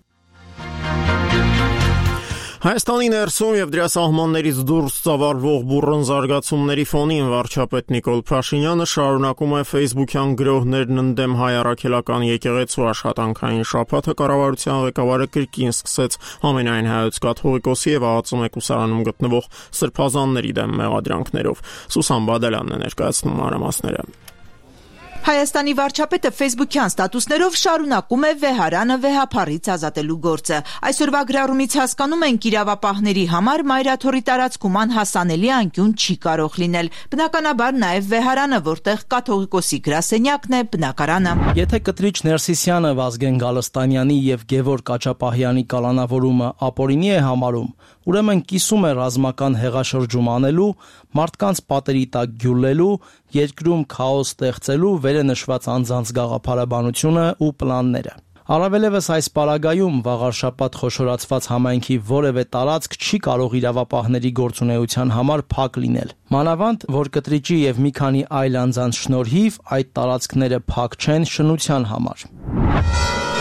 Հայաստանի ներսում եւ դրա սահմաններից դուրս ծավալվող բուռն զարգացումների ֆոնին վարչապետ Նիկոլ Փաշինյանը շարունակում է Facebook-յան գրողներն ընդդեմ հայ առաքելական եկեղեցու աշխատանքային շաբաթը կառավարության ղեկավարը կրկին սկսեց համենայն հայոց կաթողիկոսի եւ Աղածու մեկուսարանում գտնվող սրբազանների դեմ մեղադրանքներով։ Սուսան Բադալյանն է ներկայացնում մանրամասները։ Հայաստանի վարչապետը Facebook-յան ստատուսներով շարունակում է վեհարանը վեհափառից ազատելու գործը։ Այսօրվա գրառումից հասկանում ենք իրավապահների համար մայրաթորի տարածքում անհասանելի անկյուն չի կարող լինել։ Բնականաբար նաև վեհարանը, որտեղ կաթողիկոսի գրասենյակն է, բնակարանը։ Եթե կտրիչ Ներսիսյանը Վազգեն Գալստանյանի եւ Գևորգ Աչապահյանի կալանավորումը ապօրինի է համարում, ուրեմն կիսում է ռազմական հեղաշրջում անելու, մարդկանց պատերի տակ գյուլելու, երկրում քաոս ստեղծելու վերը նշված անձանց գաղափարաբանությունը ու պլանները։ Առավելևս այս պարագայում վաղարշաբաթ խոշորացված համայնքի որևէ տարածք չի կարող իրավապահների գործունեության համար փակ լինել։ Մանավանդ, որ կտրիճի եւ մի քանի այլ անձանց շնորհիվ այդ տարածքները փակ չեն շնության համար։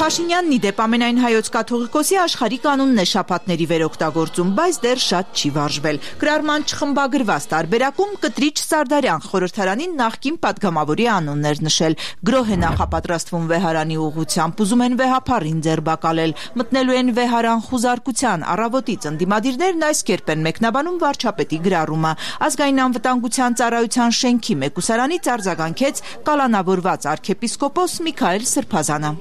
Փաշինյանն ի դեպ ամենայն հայոց կաթողիկոսի աշխարհի կանոնն է շաբաթների վերօգտագործում, բայց դեռ շատ չի վարժվել։ Գրառման չխմբագրված տարբերակում կտրիչ Սարդարյան խորհրդարանին նախկին падգամավորի անունն էր նշել։ Գրոհ է նախապատրաստվում վեհարանի ուղղությամբ, ուզում են վեհափառին ձերբակալել, մտնելու են վեհարան խուզարկության։ Առավոտից ընդդիմադիրներն այս կերպ են մեկնաբանում վարչապետի գրառումը։ Ազգային անվտանգության ծառայության շենքի մեկուսարանից արձագանքեց կալանավորված arczepiskopos Միքայել Սրբազանը։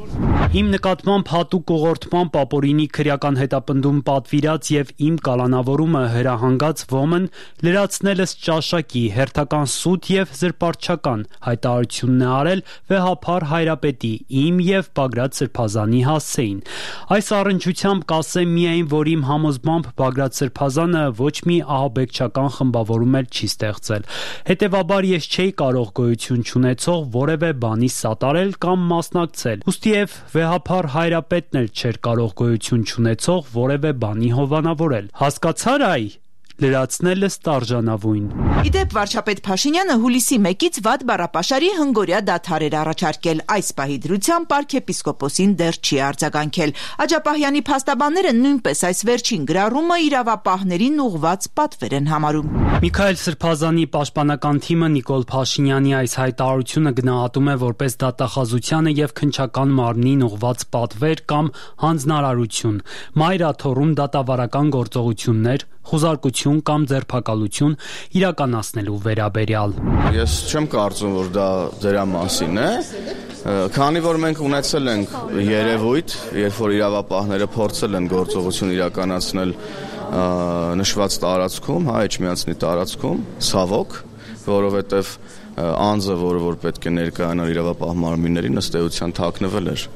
Իմ նկատմամբ հատուկ ուղղորդման ապօրինի քրեական հետապնդում պատվիրած եւ իմ կալանավորումը հրահանգած ոմն լրացնելս ճաշակի հերթական սուտ եւ զրպարտչական հայտարարությունն է արել վեհափառ հայրապետի իմ եւ Բագրատ Սրբազանի հասցեին։ Այս առնչությամբ կասեմ միայն, որ իմ համոզմամբ Բագրատ Սրբազանը ոչ մի ահաբեկչական խմբավորում էլ չի ստեղծել։ Հետևաբար ես չէի կարող գոյություն չունեցող որևէ բանի սատարել կամ մասնակցել։ Ուստիև վեհափառ հայրապետն էլ չէր կարող գոյություն չունեցող որևէ բանի հովանավորել։ Հասկացար այ լրացնելս տարժանավույն։ Իդեպ վարչապետ Փաշինյանը հուլիսի 1-ից վատ բառապաշարի հնգորյա դադար էր առաջարկել։ Այս պահի դրությամբ arczepiskoposին դեռ չի արձագանքել։ Աջապահյանի փաստաբանները նույնպես այս վերջին գրառումը իրավապահներին ուղղված պատվեր են համարում։ Միքայել Սրբազանի պաշտպանական թիմը Նիկոլ Փաշինյանի այս հայտարարությունը գնահատում է որպես դատախազությանը եւ քննչական մարմնին ուղղված պատվեր կամ հանձնարարություն, մայրաթոռում դատավարական գործողություններ, խուզարկություն կամ ձերբակալություն իրականացնելու վերաբերյալ։ Ես չեմ կարծում, որ դա դրա մասին է, քանի որ մենք ունեցել ենք երևույթ, երբ որ իրավապահները փորձել են գործողություն իրականացնել նշված տարածքում, Էջմիածնի տարածքում, ցավոք, որովհետև անձը, որը որ պետք է ներկայանար իրավապահ մարմիններին, ըստ էության թաքնվել էր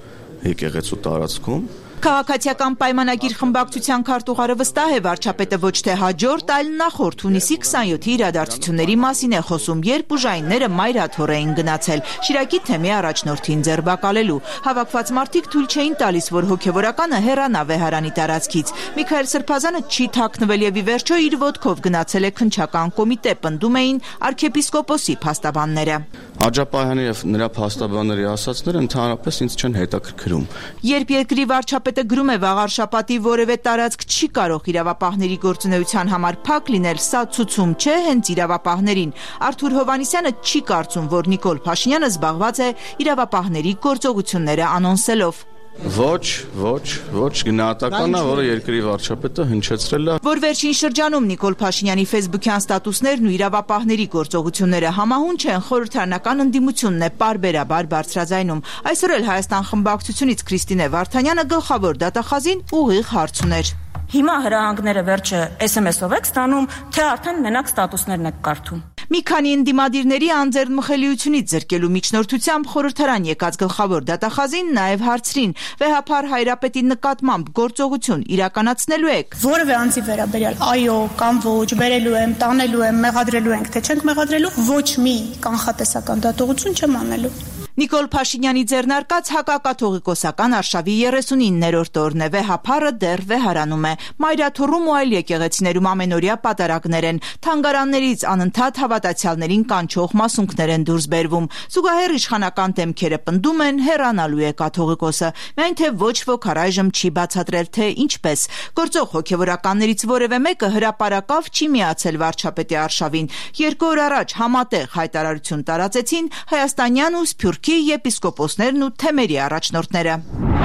եկեղեցու տարածքում։ Քաղաքացիական պայմանագիր խմբակցության քարտուղարը վստահ է վարչապետը ոչ թե հաջորդ, այլ նախորդ հունիսի 27-ի իրադարձությունների մասին է խոսում, երբ ուժայինները մայրաթոռ էին գնացել Շիրակի թեմի առաջնորդին ձերբակալելու։ Հավաքված մարդիկ թույլ չէին տալիս, որ հոգևորականը հեռանա Վեհարանի տարածքից։ Միքայել Սրբազանը չի թաքնվել եւ ի վերջո իր ոտքով գնացել է քննչական կոմիտե, պնդում էին arczepiskoposi փաստաբանները։ Աջապահյանի եւ նրա փաստաբանների ասացները ընդհանրապես ինձ չեն հետաքրքրում։ Երբ երկրի վարչապետը գրում է վաղար շաբաթի որևէ տարածք չի կարող իրավապահների գործունեության համար փակ լինել, սա ցուցում չէ հենց իրավապահներին։ Արթուր Հովհաննիսյանը չի կարծում, որ Նիկոլ Փաշինյանը զբաղված է իրավապահների գործողությունները անոնսելով։ Ոչ գնահատական է, որը երկրի վարչապետը հնչեցրել է։ Որ վերջին շրջանում Նիկոլ Փաշինյանի ֆեյսբուքյան ստատուսներն ու իրավապահների գործողությունները համահունչ են, խորհրդարանական ընդդիմությունն է պարբերաբար բարձրաձայնում։ Այսօր էլ Հայաստան խմբակցությունից Քրիստինե Վարդանյանը գլխավոր դատախազին ուղիղ հարց ուներ։ Հիմա հրահանգները վերջը SMS-ով եք ստանում, թե արդեն մենակ ստատուսներն եք կարդում։ Մի քանի ընդդիմադիրների անձեռնմխելիությունից զրկելու միջնորդությամբ խորհրդարան եկած գլխավոր դատախազին նաև հարցրին. Վեհափար Հայրապետի նկատմամբ գործողություն իրականացնելու եք։ Որևէ անձի վերաբերյալ այո կամ ոչ, բերելու եմ, տանելու եմ, մեղադրելու ենք, թե չենք մեղադրելու, ոչ մի կանխատեսական դատողություն չեմ անելու։ Նիկոլ Փաշինյանի ձեռնարկած հակակաթողիկոսական արշավի 39-րդ օրն է, վեհափառը դեռ վեհարանում է։ Մայրաթոռում ու այլ եկեղեցիներում ամենօրյա պատարագներ են, թանգարաններից անընդհատ հավատացյալներին կանչող մասունքներ են դուրս բերվում։ Զուգահեռ իշխանական դեմքերը պնդում են հեռանալու է կաթողիկոսը, միայն թե ոչ ոք առայժմ չի բացատրել, թե ինչպես։ Գործող հոգևորականներից որևէ մեկը հրապարակավ չի միացել վարչապետի արշավին։ 2 օր առաջ համատեղ հայտարարություն տարածեցին հայաստանյան ու սփյուռքի եպիսկոպոսներն ու թեմերի առաջնորդները։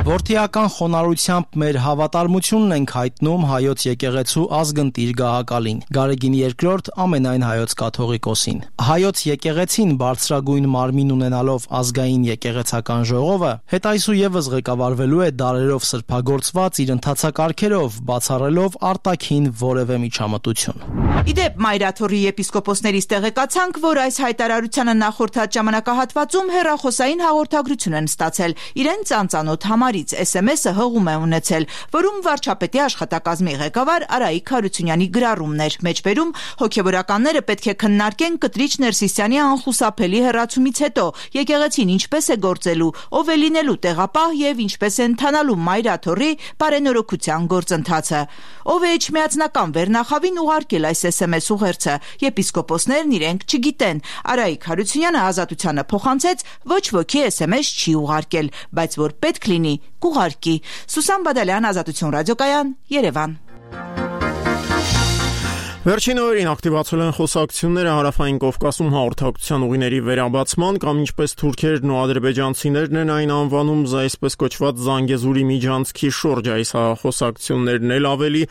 Որդիական խոնարհությամբ մեր հավատարմությունն ենք հայտնում հայոց եկեղեցու ազգընտիր գահակալին, Գարեգին II ամենայն հայոց կաթողիկոսին։ Հայոց եկեղեցին բարձրագույն մարմին ունենալով ազգային եկեղեցական ժողովը հետայսուևս ղեկավարվելու է դարերով սրբագործված իր ընթացակարգերով, բացառելով արտաքին որևէ միջամտություն։ Իդեպ Մայրաթոռի եպիսկոպոսներից տեղեկացանք, որ այս հայտարարությանը նախորդած ժամանակահատվածում հեռախոսային հաղորդագրություն են ստացել իրենց անծանոթ համարից, SMS-ը հղում է ունեցել, որում վարչապետի աշխատակազմի ղեկավար Արայիկ Հարությունյանի գրառումն էր։ Մեջբերում հոգևորականները պետք է քննարկեն Կտրիչ Ներսիսյանի անխուսափելի հեռացումից հետո եկեղեցին ինչպես է գործելու, ով է լինելու տեղապահ եւ ինչպես է ընթանալու Մայրաթոռի բարենորոգության գործընթացը։ Ով է Էջմիածնական վերնախավին ուղարկել այս SMS ուղերձը, եպիսկոպոսներն իրենք չգիտեն։ Արայիկ Հարությունյանը Ազատությանը փոխանցեց, ոչ ոքի SMS չի ուղարկել, բայց որ պետք լինի, կուղարկի։ Սուսան Բադալյան, Ազատություն ռադիոկայան, Երևան։ Վերջին օրերին ակտիվացել են խոսակցությունները Հարավային Կովկասում հաղորդակցության ուղիների վերաբացման կամ ինչպես թուրքերն ու ադրբեջանցիներն են այն անվանում այսպես կոչված Զանգեզուրի միջանցքի շուրջ։ Այս խոսակցություններն էլ ավելի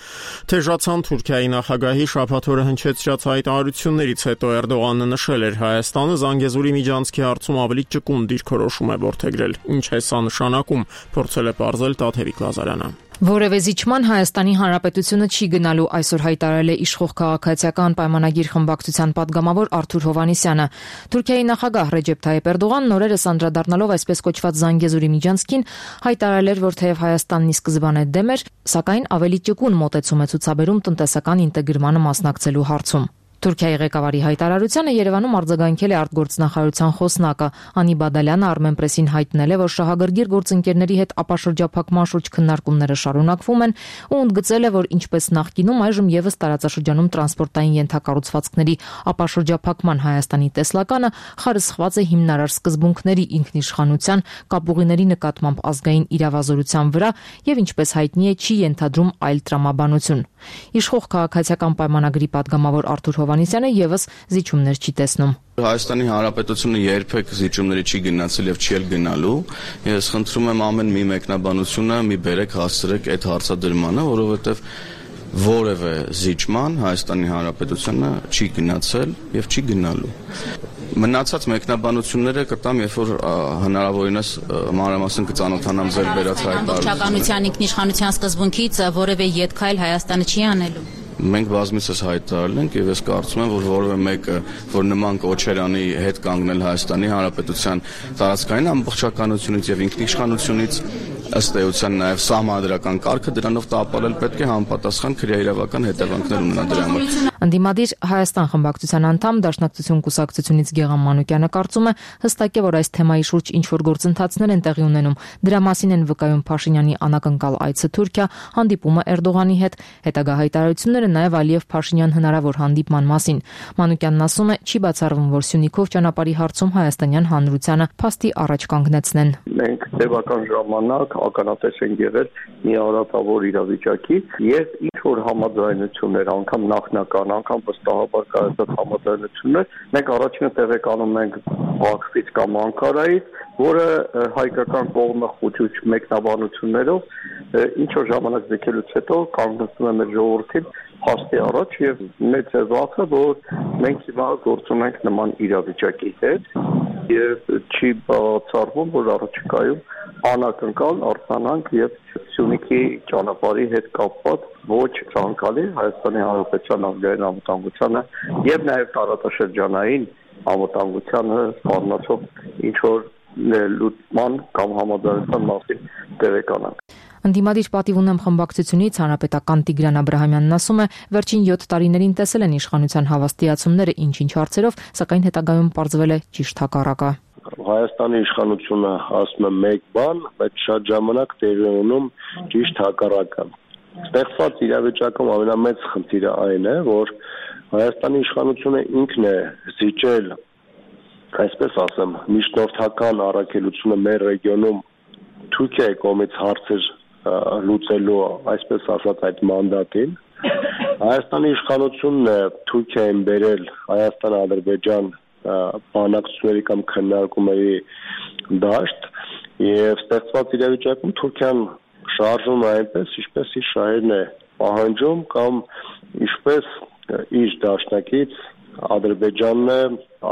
թեժացան Թուրքիայի նախագահի շաբաթ օրը հնչեցրած հայտարարություններից հետո։ Էրդողանը նշել էր Հայաստանը Զանգեզուրի միջանցքի հարցում ավելի ճկուն դիրքորոշում է որդեգրել։ Ինչ է սա նշանակում, փորձել է պարզել Տաթևիկ Լազարյանը։ Որևէ զիջման Հայաստանի Հանրապետությունը չի գնալու, այսօր հայտարարել է իշխող քաղաքացիական պայմանագիր խմբակցության падգամավոր Արթուր Հովհաննիսյանը։ Թուրքիայի նախագահ Ռեջեփ Թայիփ Էրդողանն օրերս անդրադառնալով այսպես կոչված Զանգեզուրի միջանցքին հայտարարել էր, որ թեև Հայաստանն ի սկզբանե դեմ էր, սակայն ավելի ճկուն մոտեցում է ցուցաբերում տնտեսական ինտեգրմանը մասնակցելու հարցում։ Թուրքիայի ղեկավարի հայտարարությանը Երևանում արձագանքել է արտգործնախարարության խոսնակը Անի Բադալյանը Armenpress-ին հայտնել է, որ շահագրգիռ գործընկերների հետ ապաշրջափակման շուրջ քննարկումները շարունակվում են ու ընդգծել է, որ ինչպես նախկինում այժմ եւս տարածաշրջանում տրանսպորտային ենթակառուցվածքների ապաշրջափակման Հայաստանի տեսլականը խարսխված է հիմնարար սկզբունքների ինքնիշխանության, կապուղիների նկատմամբ ազգային իրավազորության վրա եւ ինչպես հայտնի է չի ենթադրում այլ տրամաբանություն։ Իշխող քաղաքացիական պայմանագրի падգամավոր Արթուր Հովհաննիսյանը եւս զիջումներ չի տեսնում։ Հայաստանի Հանրապետությունը երբեք զիջումների չի գնացել եւ չի էլ գնալու։ Ես խնդրում եմ ամեն մի մեկնաբանությունը մի բերեք հասցրեք այդ հարցադրմանը, որովհետեւ որևէ զիջման Հայաստանի Հանրապետությունը չի գնացել եւ չի գնալու։ Մնացած մեկնաբանությունները կտամ, երբ որ հնարավորինս մանրամասն կծանոթանամ ձեր բերած հայտարարությունները։ Ամբողջականության ինքնիշխանության սկզբունքից որևէ ետքայլ Հայաստանը չի անելու։ Մենք բազմիցս հայտարարել ենք եւ ես կարծում եմ, որ որևէ մեկը, որ նման կոչերանի հետ կանգնել Հայաստանի Հանրապետության տարածքային ամբողջականությունից եւ ինքնիշխանությունից ըստ էության նաև սահմանադրական կարգը դրանով տապալել պետք է համապատասխան քրեաիրավական հետևանքներ ունենա դրա համար։ Ընդդիմադիր Հայաստան խմբակցության անդամ Դաշնակցություն կուսակցությունից Գեգամ Մանուկյանը կարծում է հստակ է, որ այս թեմայի շուրջ ինչ-որ գործընթացներ են տեղի ունենում։ Դրա մասին են վկայում Փաշինյանի անակնկալ այցը Թուրքիա, հանդիպումը Էրդողանի հետ, հետագա հայտարարությունները նաև Ալիև-Փաշինյան հնարավոր հանդիպման մասին։ Մանուկյանն ասում է, չի բացառվում, որ Սյունիքով ճանապարհի հարցում հայաստանյան հանրությանը փաստի առաջ կանգնեցնեն։ Մենք տևական ժամանակ ականատես ենք եղել մի արատավոր իրավիճակի եւ ինչ որ համաձայնություններ, անգամ նախնական, անգամ վստահաբար կայացած համաձայնություններ, մենք առաջինը տեղեկանում ենք Բաքվից կամ Անկարայից, որը հայկական կողմը խոչուչ մեկնաբանություններով ինչ որ ժամանակ ձգելուց հետո կանգնեցնում է մեր ժողովրդին փաստի առաջ եւ մեծ է վախը, որ մենք հիմա գործում ենք նման իրավիճակի հետ եւ չի բացառվում, որ առաջիկայում անակնկալ արձանանք եւ Սյունիքի ճանապարհի հետ կապված ոչ ցանկալի Հայաստանի Հանրապետության ազգային անվտանգությանը եւ նաեւ տարածաշրջանային անվտանգությանը սպառնացող ինչ որ լուծման կամ համաձայնության մասին տեղեկանանք։ Ընդդիմադիր պատիվ ունեմ խմբակցությունից հանրապետական Տիգրան Աբրահամյանն ասում է, վերջին 7 տարիներին տեսել են իշխանության հավաստիացումները ինչ-ինչ հարցերով, սակայն հետագայում պարզվել է ճիշտ հակառակը։ Հայաստանի իշխանությունը ասում է մեկ բան, բայց շատ ժամանակ տեղի ունում ճիշտ հակառակը։ Ստեղծված իրավիճակում ամենամեծ խնդիրը այն է, որ Հայաստանի իշխանությունը ինքն է զիջել, այսպես ասեմ, միջնորդական առաքելությունը մեր ռեգիոնում Թուրքիայի կողմից հարցեր լուծելու, այսպես ասած, այդ մանդատին։ Հայաստանի իշխանությունն է Թուրքիային բերել Հայաստան-Ադրբեջան բանակցությունների կամ քննարկումների դաշտ եւ ստեղծված իրավիճակում Թուրքիան շարժվում է այնպես, ինչպես իր շահերն է պահանջում կամ ինչպես իր դաշնակից Ադրբեջանն է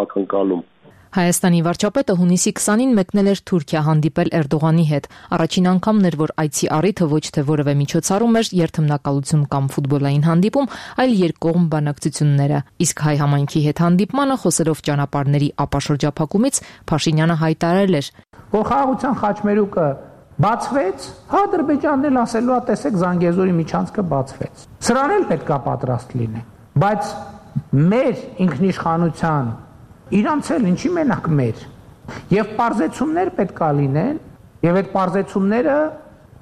ակնկալում։ Հայաստանի վարչապետը հունիսի 20-ին մեկնել էր Թուրքիա հանդիպել Էրդողանի հետ։ Առաջին անգամն էր, որ այցի առիթը ոչ թե որևէ միջոցառում էր, երթմնակալություն կամ ֆուտբոլային հանդիպում, այլ երկկողմ բանակցությունները։ Իսկ հայ համայնքի հետ հանդիպմանը խոսելով ճանապարհների ապաշրջափակումից Փաշինյանը հայտարարել էր, որ խաղաղության խաչմերուկը բացվեց, Ադրբեջանն էլ ասելու է, տեսեք, Զանգեզուրի միջանցքը բացվեց։ Սրան էլ պետքա պատրաստ լինենք, բայց մեր ինքնիշխանության իրանց էլ ինչի մենակ մեր եւ պարզեցումներ պետք է լինեն եւ այդ պարզեցումները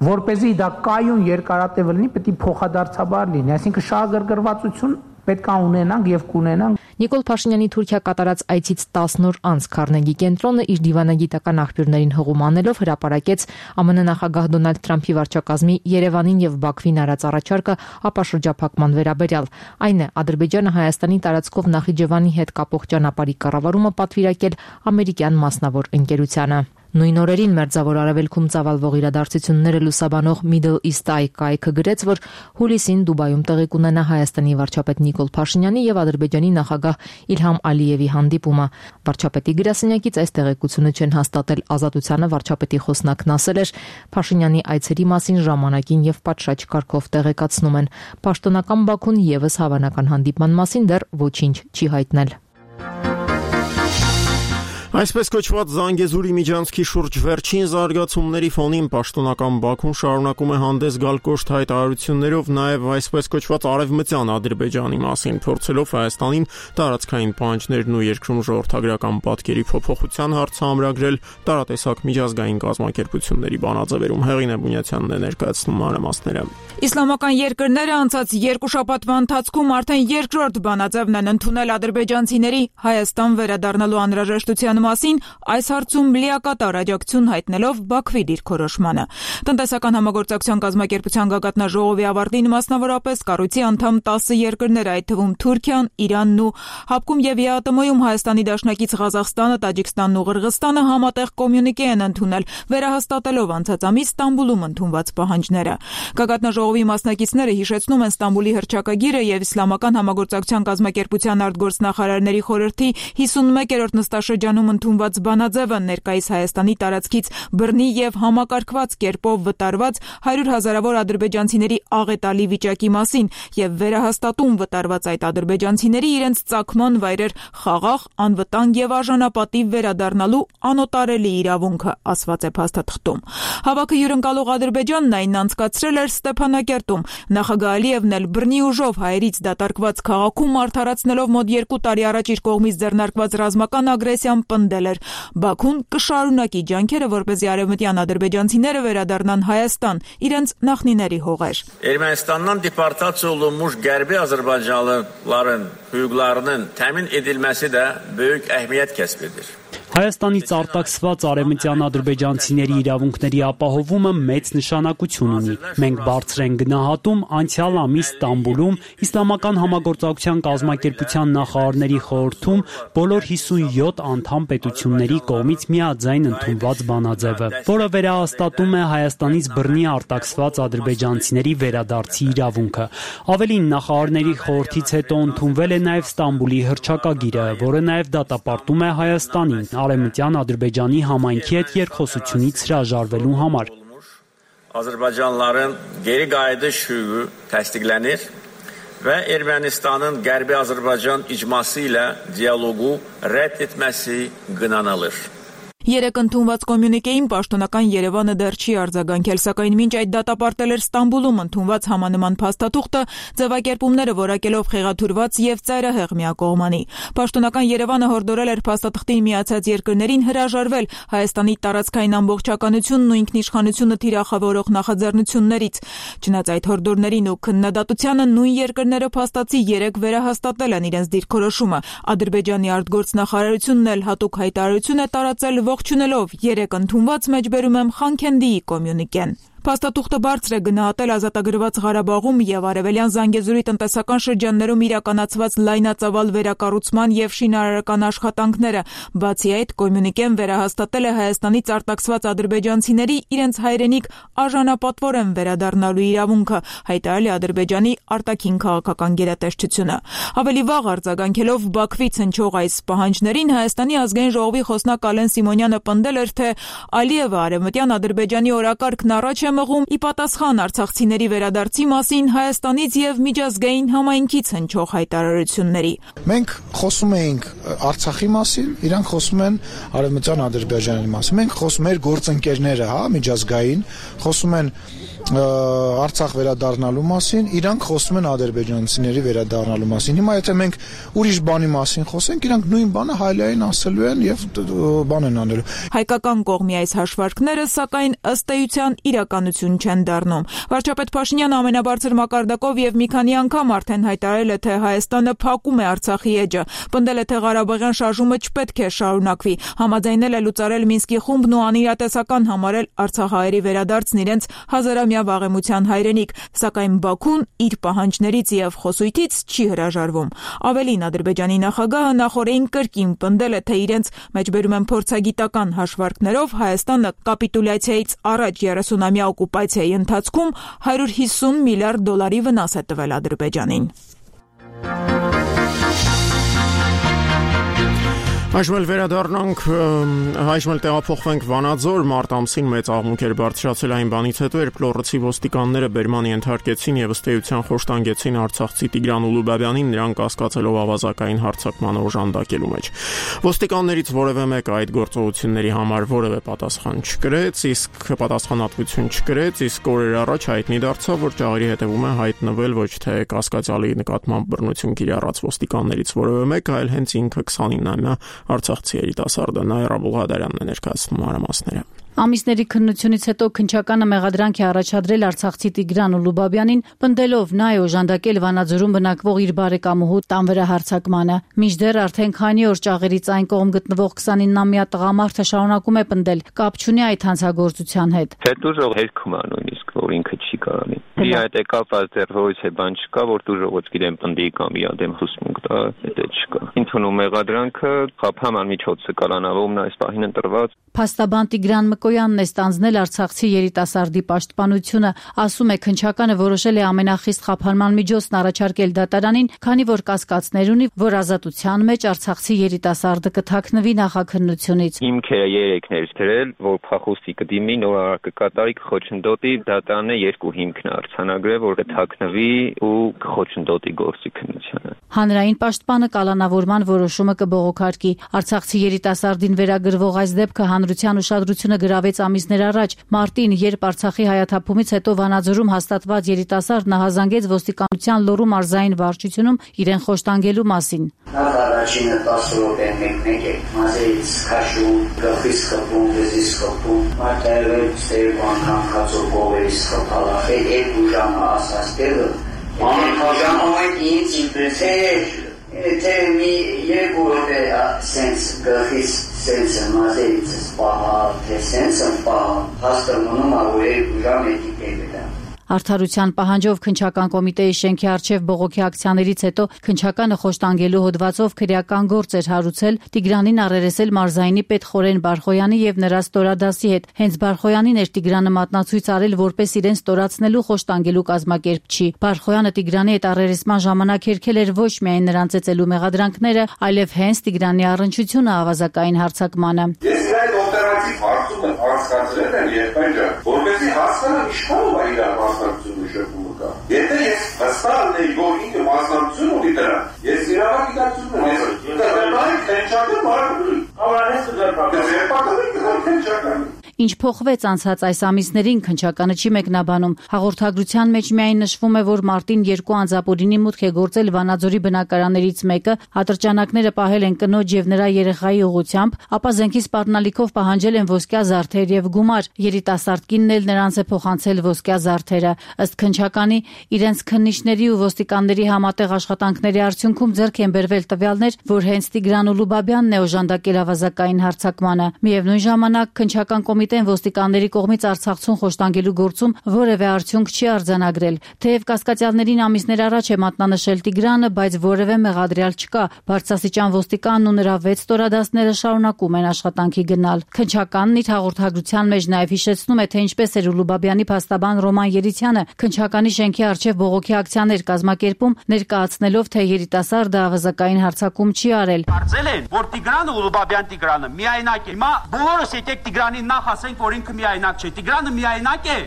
որպեսզի դա կայուն երկարատև լինի պետք է փոխադարձաբար լինի, այսինքն շահագրգռվածություն պետք է ունենանք եւ կունենանք։ Նիկոլ Փաշինյանի Թուրքիա կատարած այցից 10 օր անց Քարնեգի կենտրոնը իր դիվանագիտական աղբյուրներին հղում անելով հրապարակեց ԱՄՆ նախագահ Դոնալդ Թրամփի վարչակազմի Երևանին եւ Բաքվին արած առաջարկը ապաշրջափակման վերաբերյալ։ Այն է Ադրբեջանը Հայաստանի տարածքով Նախիջևանի հետ կապող ճանապարհի կառավարումը պատվիրակել ամերիկյան մասնավոր ընկերությանը։ Նույն օրերին Մերձավոր Արևելքում ծավալվող իրադարձությունները լուսաբանող Middle East Eye կայքը գրեց, որ հուլիսին Դուբայում տեղի կունենա Հայաստանի վարչապետ Նիկոլ Փաշինյանի եւ Ադրբեջանի նախագահ Իլհամ Ալիևի հանդիպումը։ Վարչապետի գրասենյակից այս տեղեկությունը չեն հաստատել Ազատությանը վարչապետի խոսնակն ասել էր, Փաշինյանի այցերի մասին ժամանակին եւ պատշաճ կարգով տեղեկացնում են։ Պաշտոնական Բաքուն եւս հավանական հանդիպման մասին դեռ ոչինչ չի հայտնել։ Այսպես կոչված Զանգեզուրի միջանցքի շուրջ վերջին զարգացումների ֆոնին պաշտոնական Բաքուն շարունակում է հանդես գալ կոշտ հայտարարություններով նաև այսպես կոչված արևմտյան Ադրբեջանի մասին, փորձելով Հայաստանին տարածքային պահանջներն ու երկրում ժողովրդագրական պատկերի փոփոխության հարցը ամրագրել տարատեսակ միջազգային կազմակերպությունների բանաձևերում։ Հեղինե Բունյացյանն է ներկայացնում մանրամասները։ Իսլամական երկրները անցած երկու շաբաթվա ընթացքում արդեն երկրորդ բանաձևն են ընդունել ադրբեջանցիների Հայաստան վերադառնալու անհրաժեշտության մասին, այս հարցում լիակատար աջակցություն հայտնելով Բաքվի դիրքորոշմանը։ Տնտեսական համագործակցության կազմակերպության գագաթնաժողովի ավարտին մասնավորապես կառույցի անդամ 10 երկրներ, այդ թվում Թուրքիան, Իրանն ու ՀԱՊԿ-ում եւ ԵԱՏՄ-ում Հայաստանի դաշնակից Ղազախստանը, Տաջիկստանն ու Ղրղըզստանը համատեղ կոմյունիկե են ընդունել, վերահաստատելով անցած ամիս Ստամբուլում ընդունված պահանջները։ Գագաթնաժողովի մասնակիցները հիշեցնում են Ստամբուլի հռչակագիրը եւ Իսլամական համագործակցության կազմակերպության արտգործնախարարների խորհրդի 51-րդ նստաշրջանում ընդունված բանաձևը ներկայիս Հայաստանի տարածքից բռնի եւ համակարգված կերպով վտարված 100,000-ավոր ադրբեջանցիների աղետալի վիճակի մասին եւ վերահաստատում վտարված այդ ադրբեջանցիների իրենց ծագման վայրեր խաղաղ, անվտանգ եւ արժանապատիվ վերադառնալու անօտարելի իրավունքը, ասված է փաստաթղթում։ Հավաքը հյուրընկալող Ադրբեջանն այն անցկացրել էր Ստեփանակերտում։ Նախագահ Ալիևն էլ բռնի ուժով հայերից դատարկված քաղաքում արդարացնելով մոտ 2 տարի առաջ իր կողմից ձեռնարկված ռազմական ագրեսիան պնդել էր։ Բաքուն կշարունակի ջանքերը, որպեսզի արևմտյան ադրբեջանցիները վերադառնան Հայաստան, իրենց նախնիների հողեր։ Ermənistandan deportasiya olunmuş Qərbi Azərbaycanlıların hüquqlarının təmin edilməsi də böyük əhəmiyyət kəsb edir. Հայաստանից արտաքսված արևմտյան ադրբեջանցիների իրավունքների ապահովումը մեծ նշանակություն ունի։ Մենք բարձր ենք գնահատում անցյալ ամիս Ստամբուլում Իսլամական համագործակցության կազմակերպության նախարարների խորհրդում բոլոր 57 անդամ պետությունների կողմից միաձայն ընդունված բանաձևը, որը վերահաստատում է Հայաստանից բռնի արտաքսված ադրբեջանցիների վերադարձի իրավունքը։ Ավելին, նախարարների խորհրդից հետո ընդունվել է նաև Ստամբուլի հռչակագիրը, որը նաև դատապարտում է Հայաստանին Արևմտյան Ադրբեջանի համայնքի հետ երկխոսությունից հրաժարվելու համար։ Azərbaycanlıların geri qayıdış hüququ təsdiqlənir və Ermənistanın Qərbi Azərbaycan icması ilə dialoqu rədd etməsi qınanılır։ Երեկ ընդունված կոմյունիկեին պաշտոնական Երևանը դեռ չի արձագանքել, սակայն մինչ այդ դատապարտել էր Ստամբուլում ընդունված համանման փաստաթուղթը, ձևակերպումները որակելով խեղաթյուրված եւ ծայրահեղ միակողմանի։ Պաշտոնական Երևանը հորդորել էր փաստաթղթին միացած երկրներին հրաժարվել Հայաստանի տարածքային ամբողջականությունն ու ինքնիշխանությունը թիրախավորող նախաձեռնություններից։ Չնայած այդ հորդորներին ու քննադատությանը նույն երկրները փաստացի երեկ վերահաստատել են իրենց դիրքորոշումը։ Ադրբեջանի արտգործնախարարությունն էլ հատուկ հայտարարություն է տարածել ողջունելով երեկ ընդունված մեջբերում եմ Խանքենդիի կոմյունիկեն։ Փաստաթուղթը բարձր է գնահատել ազատագրված Ղարաբաղում եւ Արևելյան Զանգեզուրի տնտեսական շրջաններում իրականացված լայնածավալ վերակառուցման եւ շինարարական աշխատանքները։ Բացի այդ, կոմյունիկեն վերահաստատել է Հայաստանից արտաքսված ադրբեջանցիների իրենց հայրենիք արժանապատվորեն վերադառնալու իրավունքը, հայտարարել է Ադրբեջանի արտաքին քաղաքական գերատեսչությունը։ Ավելի վաղ արձագանքելով Բաքվից հնչող այս պահանջներին Հայաստանի ազգային ժողովի խոսնակ Ալեն Սիմոնյանը պնդել էր, թե Ալիևը արևմտյան Ադրբեջանի օրակարգն առաջ մղում ի պատասխան արցախցիների վերադարձի մասին Հայաստանից եւ միջազգային համայնքից հնչող հայտարարությունների։ Մենք խոսում էինք Արցախի մասին, իրանք խոսում են արևմտյան Ադրբեջանի մասին։ Մենք խոսում ենք գործընկերները, միջազգային, խոսում են Արցախ վերադառնալու մասին, իրանք խոսում են ադրբեջանցիների վերադառնալու մասին։ Հիմա եթե մենք ուրիշ բանի մասին խոսենք, իրանք նույն բանը հայլային ասելու են եւ բան են անելու։ Հայկական կողմի այս հաշվարկները, սակայն ըստ էության իրականություն չեն դառնում։ Վարչապետ Փաշինյանը ամենաբարձր մակարդակով եւ մի քանի անգամ արդեն հայտարարել է, թե Հայաստանը փակում է Արցախի էջը, պնդել է, թե Ղարաբաղյան շարժումը չպետք է շարունակվի, համաձայնել է լուծարել Մինսկի խումբն ու անիրատեսական համարել արցախահայերի վերադարձն իրենց հազարամյա վաղեմության հայրենիք, սակայն Բաքուն իր պահանջներից եւ խոսույթից չի հրաժարվում։ Ավելին, Ադրբեջանի նախագահը նախորդին կրկին պնդել է, թե իրենց մեջբերում են փորձագիտական հաշվարկներով Հայաստանը կապիտուլյացիայից առաջ 30-ամյա օկուպացիայի ընթացքում $150 միլիարդ վնաս է տվել Ադրբեջանին։ Այժմ վերադառնանք, այժմ տեղափոխվենք Վանաձոր, մարտ ամսին մեծ աղմուկ էր բարձրացել այն բանից հետո, երբ Լոռոցի ոստիկանները բերման ենթարկեցին եւ ըստ էության խոշտանգեցին արցախցի Տիգրան Ուլուբաբյանին, նրան կասկածելով ավազակային հարձակման օժանդակելու մեջ։ Ոստիկաններից որևէ մեկը այդ գործողությունների համար որևէ պատասխան չկրեց, իսկ պատասխանատվություն չկրեց, իսկ օրեր առաջ հայտնի դարձավ, որ ճաղերի հետևում է հայտնվել ոչ թե կասկածյալի նկատմամբ բռնություն կիրառած ոստիկաններից որևէ մեկը, այլ հենց ինքը 29-ամյա Արցախցի երիտասարդը Նաիրա Բուլղադարյանն է ներկայացնում մանրամասները։ Ամիսների քննությունից հետո քննչականը մեղադրանք է առաջադրել արցախցի Տիգրան Ուլուբաբյանին, պնդելով նա է օժանդակել Վանաձորում բնակվող իր բարեկամուհու տան վրա հարձակմանը։ Մինչդեռ արդեն քանի օր ճաղերից այն կողմ գտնվող 29-ամյա տղամարդը շարունակում է պնդել, կապ չունի այդ հանցագործության հետ։ Հետուժող հերքում է նույնիսկ, որ ինքը չի կարանի։ Իր այդ կապված դեռ ոչ է բան չկա, որ դուժողոց գիտեմ պնդի կամ իր դեմ հուսմունք տա, դա չկա։ Ինքնու մեղադրանքը խափան միջոցը կալանավորումն այս պահին ընտրված Փաստաբան Տիգրան Մկոյանն է ստանձնել արցախցի երիտասարդի պաշտպանությունը, ասում է քննչականը որոշել է ամենախիստ խափանման միջոցն առաջարկել դատարանին, քանի որ կասկածներ ունի, որ ազատության մեջ արցախցի երիտասարդը կթաքնվի նախաքննությունից։ Հիմքերը 3-ներ դրել, որ փախուստի կդիմի, նորարար կկատարի, կխոչընդոտի, դատարանը 2 հիմքն արձանագրել, որ կթաքնվի ու կխոչընդոտի գործի քննությանը։ Հանրային պաշտպանը կալանավորման որոշումը կբողոքարկի։ Արցախցի երիտասարդին վերագրվող այս դեպքը հանրության ուշադրությունը գրավեց ամիսներ առաջ։ Մարտին, երբ Արցախի հայաթափումից հետո Վանաձորում հաստատված երիտասարդ նահազանգեց ոստիկանության Լոռու մարզային վարչությունում իրեն խոշտանգելու մասին։ Նախ առաջինը 10 րոպե մեկ է, մազերից քաշում, գլխից խփում, վզից խփում, մարտերը ստերու անգամ քացով գովերից խփալա, երկու ժամ ասած տեղը, ժամանակ ինձ իբրեցեր, թե մի երկու րոպե սենց գլխից սենսը մազերից սպահա, թե սենսը պահա, հաստմոնում որ երկու ժամ էդի տեղը։ Արդարության պահանջով քննչական կոմիտեի շենքի առջև բողոքի ակցիաներից հետո քննչականը խոշտանգելու հոդվածով քրեական գործ էր հարուցել Տիգրանին առերեսել մարզայինի պետ Խորեն Բարխոյանի եւ նրա ստորադասի հետ։ Հենց Բարխոյանին էր Տիգրանը մատնացույց արել որպես իրեն ստորացնելու խոշտանգելու կազմակերպչի։ Բարխոյանը Տիգրանի հետ առերեսման ժամանակ հերքել էր ոչ միայն նրան ծեծելու մեղադրանքները, այլև հենց Տիգրանի առնչությունը ավազակային հարձակմանը։ Ես այդ օպերատիվ հարցումը հասկացրել եմ երբեք, որովհետեւ հասկանամ ինչքանով է իր մասնակցությունը շփումը կա։ Եթե ես հստակ նեի, որ ինքը մասնակցություն ունի դրան, ես իրավական գիտակցություն ունեմ։ Դա քննչական բառը։ Ավանես դեռ Ինչ փոխվեց անցած այս ամիսներին քննչականը չի մեկնաբանում։ Հաղորդագրության մեջ միայն նշվում է, որ մարտին 2 անձապորինի մուտք է գործել Վանաձորի բնակարաններից մեկը, ատրճանակները պահել են կնոջ եւ նրա երեխայի ուղղությամբ, ապա զենքի սպառնալիքով պահանջել են ոսկյա զարդեր եւ գումար։ Երիտասարդ կինն էլ նրանց է փոխանցել ոսկյա զարդերը։ Ըստ քննչականի, իրենց քննիչների ու ոստիկանների համատեղ աշխատանքների արդյունքում ձեռք են բերվել տվյալներ, որ հենց Տիգրան Ուլուբաբյանն է օժանդակել ավազակային հարձակմանը։ Միևնույն ժամանակ քննչական կոմիտեն ոստիկանների կողմից Արցախցուն խոշտանգելու գործում որևէ արդյունք չի արձանագրել։ Թեև կասկածյալներին ամիսներ առաջ է մատնանշել Տիգրանը, բայց որևէ մեղադրյալ չկա։ Բարձրաստիճան ոստիկանն ու նրա 6 ստորադասները շարունակում են աշխատանքի գնալ։ Քննչականն իր հաղորդագրության մեջ նաև հիշեցնում է, թե ինչպես էր Ուլուբաբյանի փաստաբան Ռոման Երիցյանը քննչականի շենքի առջև բողոքի ակցիաներ կազմակերպում, ներկայացնելով, թե երիտասարդը ավազակային հարձակում չի արել։ Կարծել են, որ Տիգրանը Ուլուբաբյանը միայնակ է։ Հիմա բոլորս եկեք Տիգրանին նախ ասենք, որ ինքը միայնակ չէ։ Տիգրանը միայնակ է։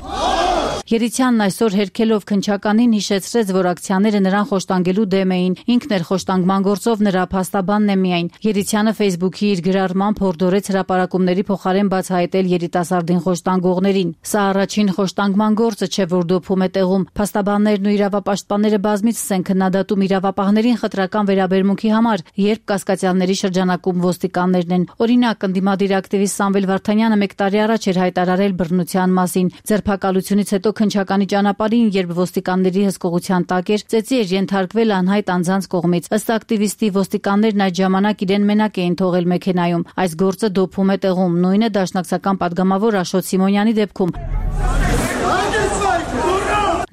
Երիցյանն այսօր հերքելով քննչականին հիշեցրեց, որ ակցիաները նրան խոշտանգելու դեմ էին։ Ինքն էր խոշտանգման գործով նրա փաստաբանն է միայն։ Երիցյանը Facebook-ի իր գրառման փորդորեց հրապարակումների փոխարեն բացահայտել երիտասարդին խոշտանգողներին։ Սա առաջին խոշտանգման գործը չէ, որ դոփում է տեղում։ Փաստաբաններն ու իրավապաշտպանները բազմիցս են քննադատում իրավապահներին խտրական վերաբերմունքի համար, երբ կասկածյալների շրջանակում ոստիկաններն են։ Օրինակ, ընդդիմադիր ակտիվիստ Սամվել Վարդանյանը 1 տարի առաջ էր հայտարարել բռնության մասին։ Ձերբակալությունից հետո քննչականի ճանապարհին, երբ ոստիկանների հսկողության տակ էր, ծեծի էր ենթարկվել անհայտ անձանց կողմից։ Ըստ ակտիվիստի, ոստիկաններն այդ ժամանակ իրեն մենակ էին թողել մեքենայում։ Այս գործը դոփում է տեղում։ Նույնը դաշնակցական падգամավոր Աշոտ Սիմոնյանի դեպքում։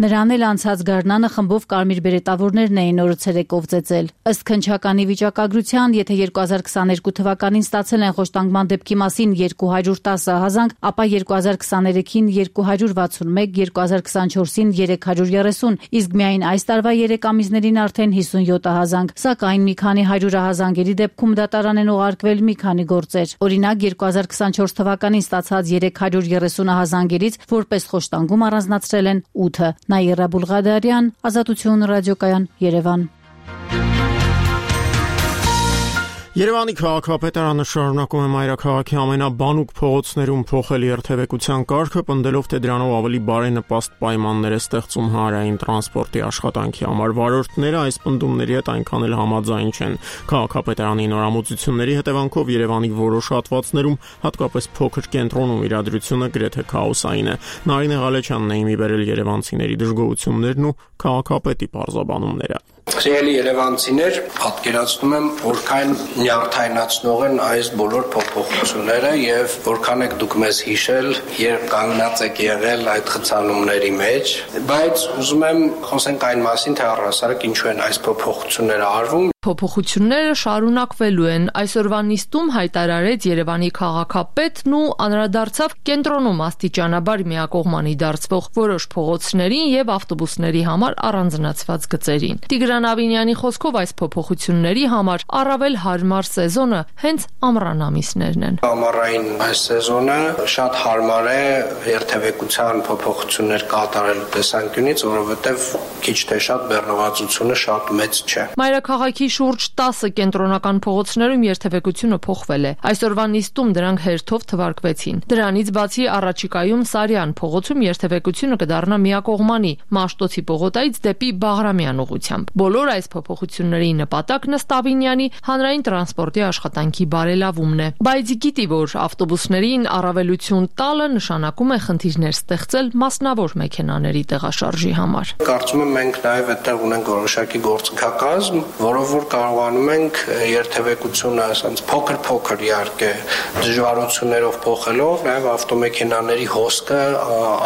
Նրան էլ անցած գարնանը խմբով կարմիր բերետավորներն էին օրը ցերեկով ծեծել։ Ըստ քննչականի վիճակագրության, եթե 2022 թվականին ստացել են խոշտանգման դեպքի մասին 210 ահազանգ, ապա 2023-ին 261, 2024-ին 330, իսկ միայն այս տարվա 3 ամիսներին արդեն 57 ահազանգ։ Սակայն մի քանի 100 ահազանգերի դեպքում դատարան են ուղարկվել մի քանի գործեր։ Օրինակ 2024 թվականին ստացած 330 ահազանգերից որպես խոշտանգում առանձնացրել են 8-ը։ Նաիրա Բուլղադարյան, Ազատություն ռադիոկայան, Երևան։ Երևանի քաղաքապետարանը շարունակում է մայրաքաղաքի ամենաբանուկ փողոցներում փոխել երթևեկության կարգը, պնդելով, թե դրանով ավելի բարենպաստ պայմաններ է ստեղծում հանրային տրանսպորտի աշխատանքի համար։ Վարորդները այս պնդումների հետ այնքան էլ համաձայն չեն։ Քաղաքապետարանի նորամուծությունների հետևանքով Երևանի որոշ հատվածներում, հատկապես փոքր կենտրոնում իրադրությունը գրեթե քաոսային է։ Նարինե Ղալեչյանն է իմի բերել երևանցիների դժգոհություններն ու քաղաքապետի պարզաբանումները։ Սիրելի երևանցիներ, պատկերացնում եմ, որքան նյարդայնացնող են այս բոլոր փոփոխությունները եւ որքան եք դուք մեզ հիշել, երբ կանգնած եք եղել այդ խցանումների մեջ, բայց ուզում եմ խոսենք այն մասին, թե առհասարակ ինչու են այս փոփոխությունները արվում։ Փոփոխությունները շարունակվելու են։ Այսօրվա նիստում հայտարարեց Երևանի քաղաքապետն ու անդրադարձավ կենտրոնում աստիճանաբար միակողմանի դարձվող որոշ փողոցներին եւ ավտոբուսների համար առանձնացված գծերին։ Տիգրան Ավինյանի խոսքով այս փոփոխությունների համար առավել հարմար սեզոնը հենց ամռան ամիսներն են։ Ամառային այս սեզոնը շատ հարմար է երթևեկության փոփոխություններ կատարելու տեսանկյունից, որովհետեւ քիչ թե շատ բեռնվածությունը շատ մեծ չէ։ Մայրաքաղաքի շուրջ 10 կենտրոնական փողոցներում երթևեկությունը փոխվել է։ Այսօրվա նիստում դրանք հերթով թվարկվեցին։ Դրանից բացի առաջիկայում Սարյան փողոցում երթևեկությունը կդառնա միակողմանի Մաշտոցի պողոտայից դեպի Բաղրամյան ուղղությամբ։ Բոլոր այս փոփոխությունների նպատակն ըստ Ավինյանի հանրային տրանսպորտի աշխատանքի բարելավումն է։ Բայց գիտի, որ ավտոբուսներին առավելություն տալը նշանակում է խնդիրներ ստեղծել մասնավոր մեքենաների տեղաշարժի համար։ Կարծում եմ մենք նաև այդտեղ ունենք որոշակի գործընկերակազմ, որով որ կարողանում ենք երթևեկությունը ասած փոքր իհարկե դժվարություններով փոխելով նաև ավտոմեքենաների հոսքը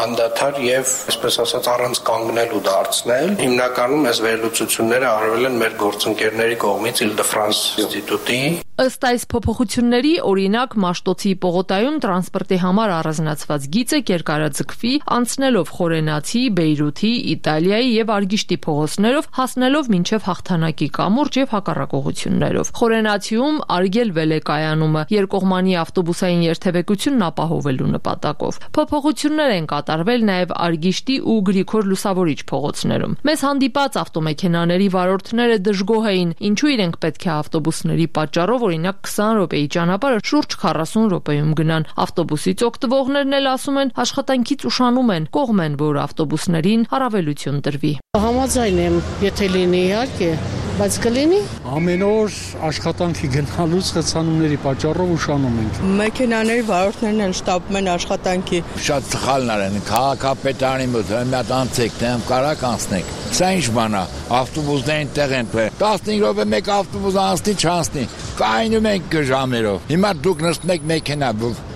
անդադար եւ այսպես ասած առանց կանգնելու դարձնել։ Հիմնականում այս վերլուծությունները արվել են մեր գործընկերների կողմից Île-de-France ինստիտուտի։ Ըստ այս փոփոխությունների, օրինակ Մաշտոցի պողոտայում տրանսպորտի համար առանձնացված գիծը կերկարաձգվի անցնելով Խորենացի, Բեյրութի, Իտալիայի եւ Արգիշտի փողոցներով, հասնելով մինչեւ Հաղթանակի կամուրջ եւ հակառակ ուղղություններով։ Խորենացիում արգելվել է կայանումը երկկողմանի ավտոբուսային երթևեկությունն ապահովելու նպատակով։ Փոփոխություններ են կատարվել նաեւ Արգիշտի ու Գրիգոր Լուսավորիչ փողոցներում։ Մեզ հանդիպած ավտոմեքենաների վարորդները դժգոհ էին, ինչու իրենք պետք է ավտոբուսների պատճառով օրինակ 20 րոպեի ճանապարհը շուրջ 40 րոպեում գնան։ Ավտոբուսից օգտվողներն էլ ասում են, աշխատանքից ուշանում են, կողմ են, որ ավտոբուսներին առավելություն տրվի։ Համաձայն եմ, եթե լինի իհարկե, բայց կլինի։ Ամեն օր աշխատանքի գնալուց խցանումների պատճառով ուշանում ենք։ Մեքենաների վարորդներն էլ շտապում են աշխատանքի։ Շատ սխալներ են, քաղաքապետարանի մոտ մի հատ անցեք, դեմ կարակ անցնեք։ Սա ինչ բան է, ավտոբուսներին տեղ են տվել։ 15 րոպե մեկ ավտոբուս անցնի, չանցնի։ Կայնում ենք ժամերով։ Հիմա դուք նստեք մեքենա,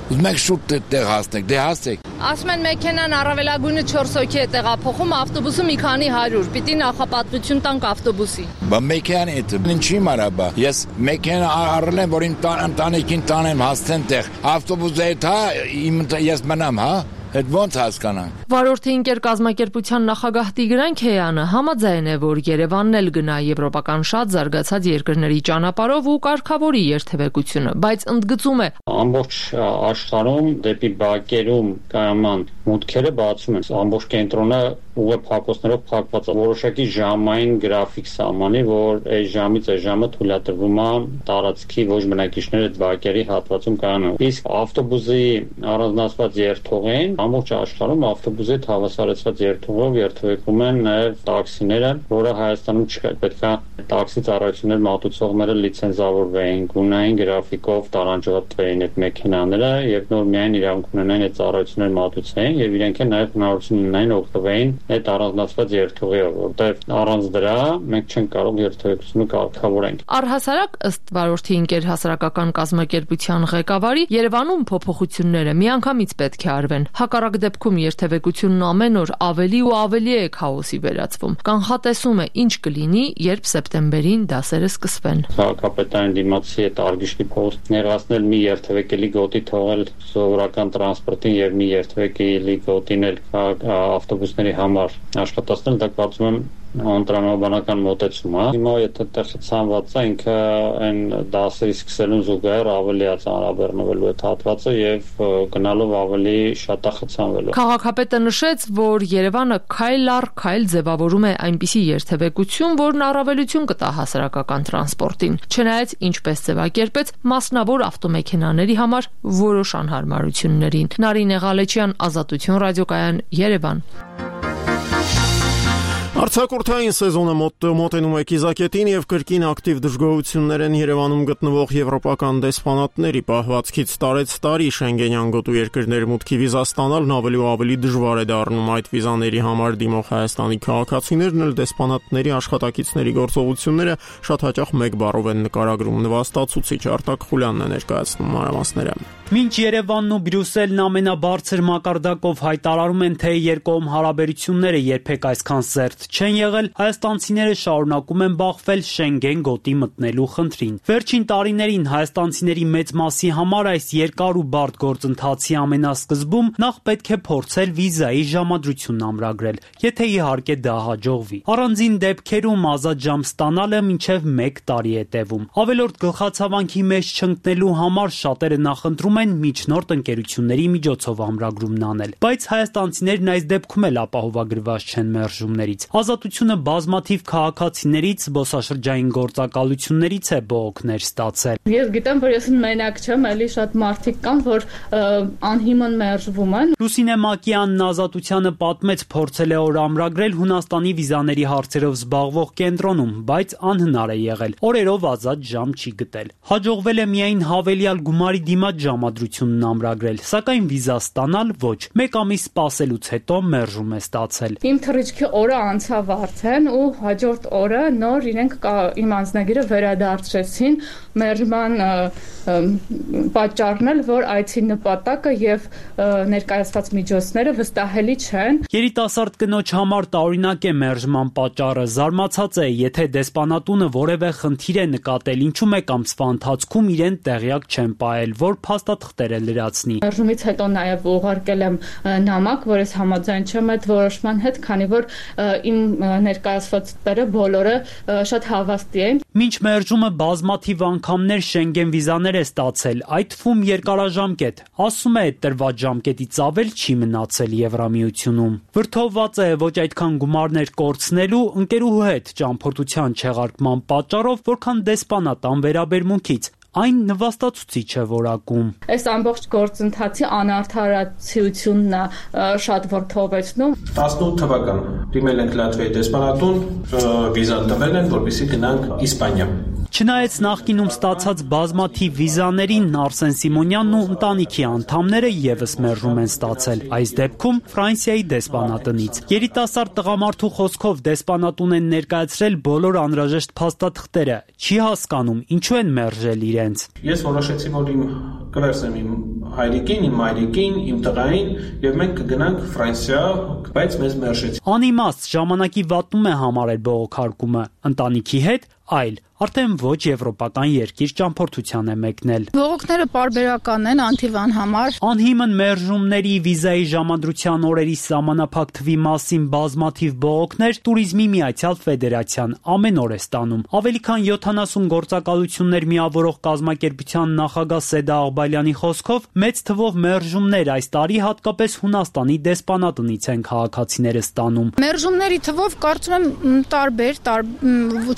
ուզում եք շուտ տեղ հասնեք, դե հասեք։ Ասում են մեքենան առավելագույնը 4 հոգի է տեղափոխում, ավտոբուսը մի քանի 100, պիտի նախապատվություն տանք ավտոբուսի։ Բա մեքենան է, ինչի մարաբա։ Ես մեքենա առել եմ, որ իմ ընտանիքին տանեմ հասցեն տեղ։ Ավտոբուսը է, ես մնամ, հա։ Այդ ոնց հասկանանք։ Վարորդի ընկեր կազմակերպության նախագահ Տիգրան Քեյանը համաձայն է, որ Երևանն էլ գնա եվրոպական շատ զարգացած երկրների ճանապարհով ու կարգավորի երթևեկությունը, բայց ընդգծում է. ամբողջ աշխարհում դեպի բակերում կայաման մուտքերը բացում են։ Ամբողջ կենտրոնը ուղիղ փակոցներով փակված է։ Որոշակի ժամային գրաֆիկ սահմանի, որ այս ժամից այս ժամը թույլատրվում է տարածքի ոչ բնակիչները այդ բակերի հատվածում կայանան։ Իսկ ավտոբուսի առանձնացված երթուղին ամբողջ աշխարհում ավտոբուսի հավասարեցված երթուղով երթևեկում են նաև տաքսիները, որը Հայաստանում չկա։ Պետք է տաքսի ծառայություններ մատուցողները լիցենզավորվեին, գունային գրաֆիկով տարանջատվեին այդ մեքենաները եւ նոր միայն իրավունք ունենային այդ ծառայություններ մատուցեին եւ իրենք էլ նաև հնարավորություն ունենային օգտվեին այդ առանձնացված երթուղիով, որտեղ առանց դրա մենք չենք կարող երթևեկությունը կարգավորենք։ Առհասարակ ըստ վարորդի ընկեր հասարակական կազմակերպության ղեկավարի Երևանում փոփոխությունները միանգամից պետք է արվեն։ Հակառակ դեպքում երթևեկությունն ամեն օր ավելի ու ավելի է քաոսի վերածվում։ Կանխատեսում է ինչ կլինի, երբ սեպտեմբերին դասերը սկսվեն։ Քաղաքապետարանի դիմացի այդ Արգիշտի փոստ ներկայացնել մի երթևեկելի գոտի թողել սովորական տրանսպորտին եւ մի երթևեկելի գոտին էլ ավտոբուսների համար աշխատացնել, դա կարծում եմ անտրամաբանական մոտեցում է։ Հիմա եթե այդտեղ ցանված է, ինքը այն դասերի սկսելուն զուգահեռ ավելի է ծանրաբեռնվելու այդ հատվածը եւ գնալով ավելի շատ է խցանվելու։ Քաղաքապետը նշեց, որ Երևանը քայլ առ քայլ ձևավորում է այնպիսի երթևեկություն, որն առավելություն կտա հասարակական տրանսպորտին։ Չնայած ինչպես ձևակերպեց մասնավոր ավտոմեքենաների համար որոշ անհարմարություններին։ Նարինե Ղալեչյան, Ազատություն ռադիոկայան, Երևան։ Արձակուրդային սեզոնը մոտենում է կիզակետին եւ կրկին ակտիվ դժգոհություններ են Երևանում գտնվող եվրոպական դեսպանատների պահվածքից տարեց տարի Շենգենյան գոտու երկրներ մուտքի վիզա ստանալն ավելի ու ավելի դժվար է դառնում։ Այդ վիզաների համար դիմող Հայաստանի քաղաքացիներն էլ դեսպանատների աշխատակիցների գործողությունները շատ հաճախ մեկ բառով են նկարագրում։ Նվաստացուցիչ Արտակ Խուլյանն է ներկայացնում մանրամասները։ Մինչ Երևանն ու Բրյուսելն ամենաբարձր մակարդակով հայտարարում են, թե երկկողմ հարաբերությունները երբեք այսքան զերծ չեն եղել, հայաստանցիները շարունակում են բախվել Շենգեն գոտի մտնելու խնդրին։ Վերջին տարիներին հայաստանցիների մեծ մասի համար այս երկար ու բարդ գործընթացի ամենասկզբում նախ պետք է փորձել վիզայի ժամադրությունն ամրագրել, եթե իհարկե դա հաջողվի։ Առանձին դեպքերում ազատ ժամ ստանալը մինչև 1 տարի է տևում։ Ավելորդ գլխացավանքի մեջ չընկնելու համար շատերը նախընտրում են միջնորդ ընկերությունների միջոցով ամրագրումն անել, բայց հայաստանցիներն այս դեպքում էլ ապահովագրված չեն մերժումներից։ Ազատությունը բազմաթիվ քաղաքացիներից, զբոսաշրջային գործակալություններից է բողոքներ ստացել։ Ես գիտեմ, որ ես մենակ չեմ, էլի շատ մարդիկ կան, որ անհիմն մերժվում են։ Լուսինե Մակյանն Ազատությանը պատմեց, փորձել է օր ամրագրել Հունաստանի վիզաների հարցերով զբաղվող կենտրոնում, բայց անհնար է եղել։ Օրերով ազատ ժամ չի գտել։ Հաջողվել է միայն հավելյալ գումարի դիմաց ժամադրությունն ամրագրել, սակայն վիզա ստանալ ոչ։ 1 ամիս սպասելուց հետո մերժում է ստացել։ Իմ թռիչքի օրը անցավ արդեն ու հաջորդ օրը նոր իրենք իմ անձնագիրը վերադարձրեցին, մերժման պատճառն էլ, որ այցի նպատակը եւ ներկայացված միջոցները վստահելի չեն։ Երիտասարդ կնոջ համար տարօրինակ է մերժման պատճառը, զարմացած է, եթե դեսպանատունը որևէ խնդիր է նկատել, ինչու 1 ամսվա ընթացքում իրեն տեղյակ չեն պահել, որ փաստաթղթեր է լրացնի։ Մերժումից հետո նաեւ ուղարկել եմ նամակ, որ ես համաձայն չեմ այդ որոշման հետ, քանի որ իմ ներկայացվածները բոլորը շատ հավաստի են։ Մինչ մերժումը բազմաթիվ անգամներ Շենգեն վիզաներ է ստացել, այդ թվում երկարաժամկետ։ Ասում է, տրված ժամկետից ավել չի մնացել Եվրամիությունում։ Վրդովված է ոչ այդքան գումարներ կորցնելու, ընկերուհու հետ ճամփորդության չեղարկման պատճառով, որքան դեսպանատան վերաբերմունքից։ Այն նվաստացուցիչ է որակում։ Այս ամբողջ գործընթացի անարդարացիությունն է շատ վրդովեցնում։ 18 թվական դիմել ենք Լատվիայի դեսպանատուն, վիզան տվել են, որպեսզի գնանք Իսպանիա։ Չնայած նախկինում ստացած բազմաթիվ վիզաներին, Արսեն Սիմոնյանն ու ընտանիքի անդամները եւս մերժում են ստացել, այս դեպքում Ֆրանսիայի դեսպանատնից։ Երիտասարդ տղամարդու խոսքով դեսպանատուն են ներկայացրել բոլոր անհրաժեշտ փաստաթղթերը, չի հասկանում ինչու են մերժել իրենց։ Ես որոշեցի, որ կվերցնեմ իմ հայրիկին, իմ մայրիկին, իմ տղային եւ մենք կգնանք Ֆրանսիա, բայց մեզ մերժեցին։ Անիմաստ ժամանակի վատնում է համարել բողոքարկումը, ընտանիքի հետ այլ արդեն ոչ եվրոպական երկիր ճամփորդության է մեկնել։ Բողոքները պարբերական են անթիվան համար։ Անհիմն մերժումների, վիզայի ժամադրության օրերի սահմանափակ թվի մասին բազմաթիվ բողոքներ Տուրիզմի Միացյալ Ֆեդերացիան ամեն օր է ստանում։ Ավելի քան 70 գործակալություններ միավորող կազմակերպության նախագահ Սեդա Աղբալյանի խոսքով մեծ թվով մերժումներ այս տարի հատկապես Հունաստանի դեսպանատնից են քաղաքացիները ստանում։ Մերժումների թվով կարծում եմ տարբեր,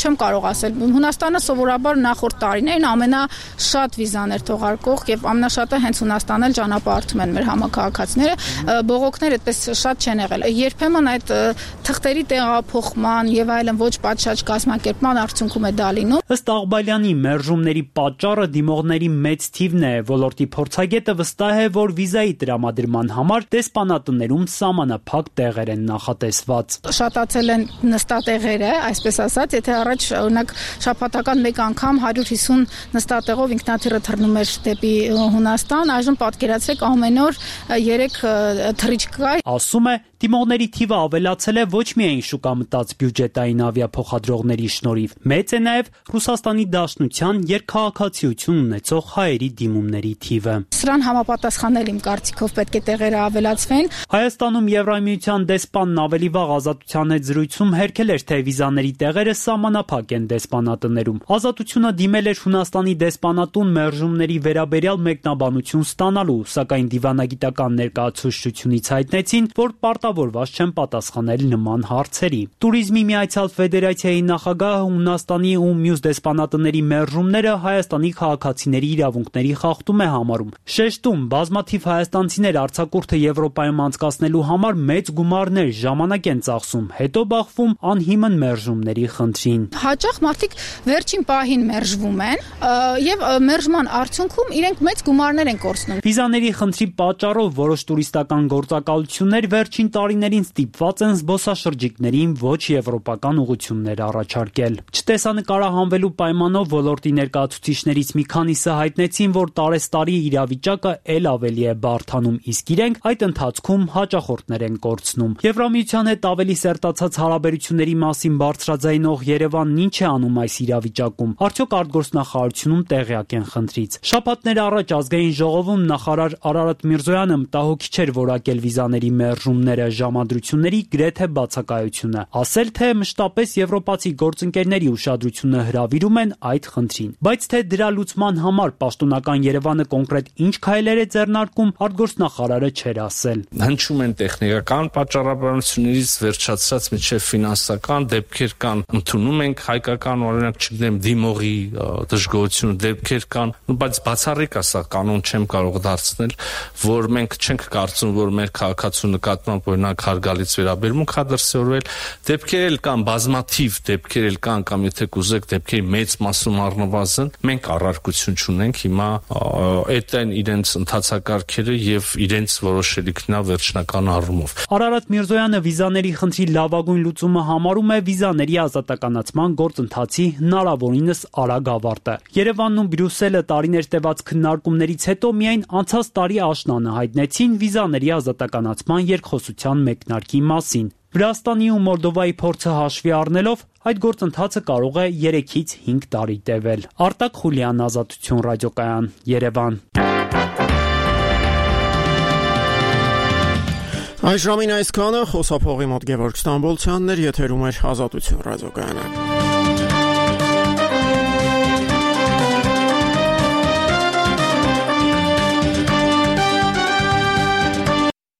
չեմ կարող ասել։ Հունաստանը սովորաբար նախորդ տարիներին ամենաշատ վիզաներ թողարկող եւ ամենաշատը հենց Հունաստանն էլ ճանապարհորդում են մեր համակարգացիները, բողոքներ այդպես շատ չեն եղել։ Երբեմն այդ թղթերի տեղափոխման եւ այլն ոչ պատշաճ կազմակերպման արդյունքում է դա լինում։ Ըստ Աղբալյանի մերժումների պատճառը դիմողների մեծ թիվն է, ոլորտի փորձագետը վստահ է, որ վիզայի տրամադրման համար դեսպանատներում սահմանափակ տեղեր են նախատեսված։ Շատացել են նստատեղերը, այսպես ասած, եթե առաջ օրինակ շաբաթական 1 անգամ 150 նստատեղով ինքնաթիռը թռնում էր դեպի Հունաստան, այժմ պատկերացրեք ամեն օր 3 թռիչք կա։ Ասում է, դիմողների թիվը ավելացել է ոչ միայն շուկա մտած բյուջետային ավիափոխադրողների շնորհիվ, մեծ է նաև Ռուսաստանի Դաշնության երկքաղաքացիություն ունեցող հայերի դիմումների թիվը։ Սրան համապատասխանել իմ կարծիքով պետք է տեղերը ավելացվեն։ Հայաստանում Եվրամիության դեսպանն ավելի վաղ Ազատության հետ զրույցում հերքել էր, թե վիզաների տեղերը սահմանափակ են դեսպանատներում։ Ազատությունը դիմել էր Հունաստանի դեսպանատուն մերժումների վերաբերյալ մեկնաբանություն ստանալու, սակայն դիվանագիտական ներկայացուցչությունից հայտնեցին, որ պարտավորված չեն պատասխանել նման հարցերի։ Տուրիզմի Միացյալ Ֆեդերացիայի նախագահը Հունաստանի ու մյուս դեսպանատների մերժումները Հայաստանի քաղաքացիների իրավունքների խախտում է համարում։ Շեշտում, բազմաթիվ հայաստանցիներ արձակուրդը Եվրոպայում անցկացնելու համար մեծ գումարներ, ժամանակ են ծախսում, հետո բախվում անհիմն մերժումների խնդրին։ Հաճախ մարդիկ վերջին պահին մերժվում են եւ մերժման արդյունքում իրենք մեծ գումարներ են կորցնում։ Վիզաների խնդրի պատճառով որոշ տուրիստական գործակալություններ վերջին տարիներին ստիպված են զբոսաշրջիկներին ոչ եվրոպական ուղղություններ առաջարկել։ Չտեսանկարահանվելու պայմանով ոլորտի ներկայացուցիչներից մի քանիսը հայտնեցին, որ տարեստարի իրավիճակը ել ավելի է բարդանում, իսկ իրենք այդ ընթացքում հաճախորդներ են կորցնում։ Եվրամիության հետ ավելի սերտացած հարաբերությունների մասին բարձրաձայնող Երևանն ինչ է անում այս իրավիճակում։ Արդյոք արտգործնախարարությունում տեղյակ են խնդրից։ Շաբաթներ առաջ ազգային ժողովում նախարար Արարատ Միրզոյանը մտահոգիչ էր որակել վիզաների մերժումները, ժամադրությունների գրեթե բացակայությունը, ասել թե մշտապես եվրոպացի գործընկերների ուշադրությունը հրավիրում են այդ խնդրին։ Բայց թե դրա լուծման համար պաշտոնական Երևանը կոնկրետ ինչ քայլեր է ձեռնարկում, արտգործնախարարը չէր ասել։ Հնչում են տեխնիկական պատճառաբանություններից վերջացած միջև ֆինանսական դեպքեր կան, ընդունում ենք հայկական օրինակ չգիտեմ դիմողի դժգոհությունը դեպքեր կան, բայց բացառիկ է սա կանոն չեմ կարող դարձնել, որ մենք չենք կարծում, որ մեր քաղաքացու նկատմամբ օրինակ հարգալից վերաբերմունք է դրսևորվել, դեպքեր էլ կան, բազմաթիվ դեպքեր էլ կան, կամ եթե կուզեք դեպքերի մեծ մասում առնվազն, մենք առարկություն չունենք, հիմա այդ են իրենց ընթացակարգերը եւ իրենց որոշելիքն է վերջնական առումով։ Արարատ Միրզոյանը վիզաների խնդրի լավագույն լուծումը համարում է վիզաների ազատականացման գործընթացի հնարավորինս արագ ավարտը։ Երևանն ու Բրյուսելը տարիներ տևած քննարկումներից հետո միայն անցած տարի աշնանը հայտնեցին վիզաների ազատականացման երկխոսության մեկնարկի մասին։ Վրաստանի ու Մոլդովայի փորձը հաշվի առնելով այդ գործընթացը կարող է 3-ից 5 տարի տևել։ Արտակ Խուլյան, Ազատություն ռադիոկայան, Երևան։ Այս ժամին այսքանը, խոսափողի մոտ Գևորգ Ստամբոլցյանն էր, եթերում էր Ազատություն ռադիոկայանը։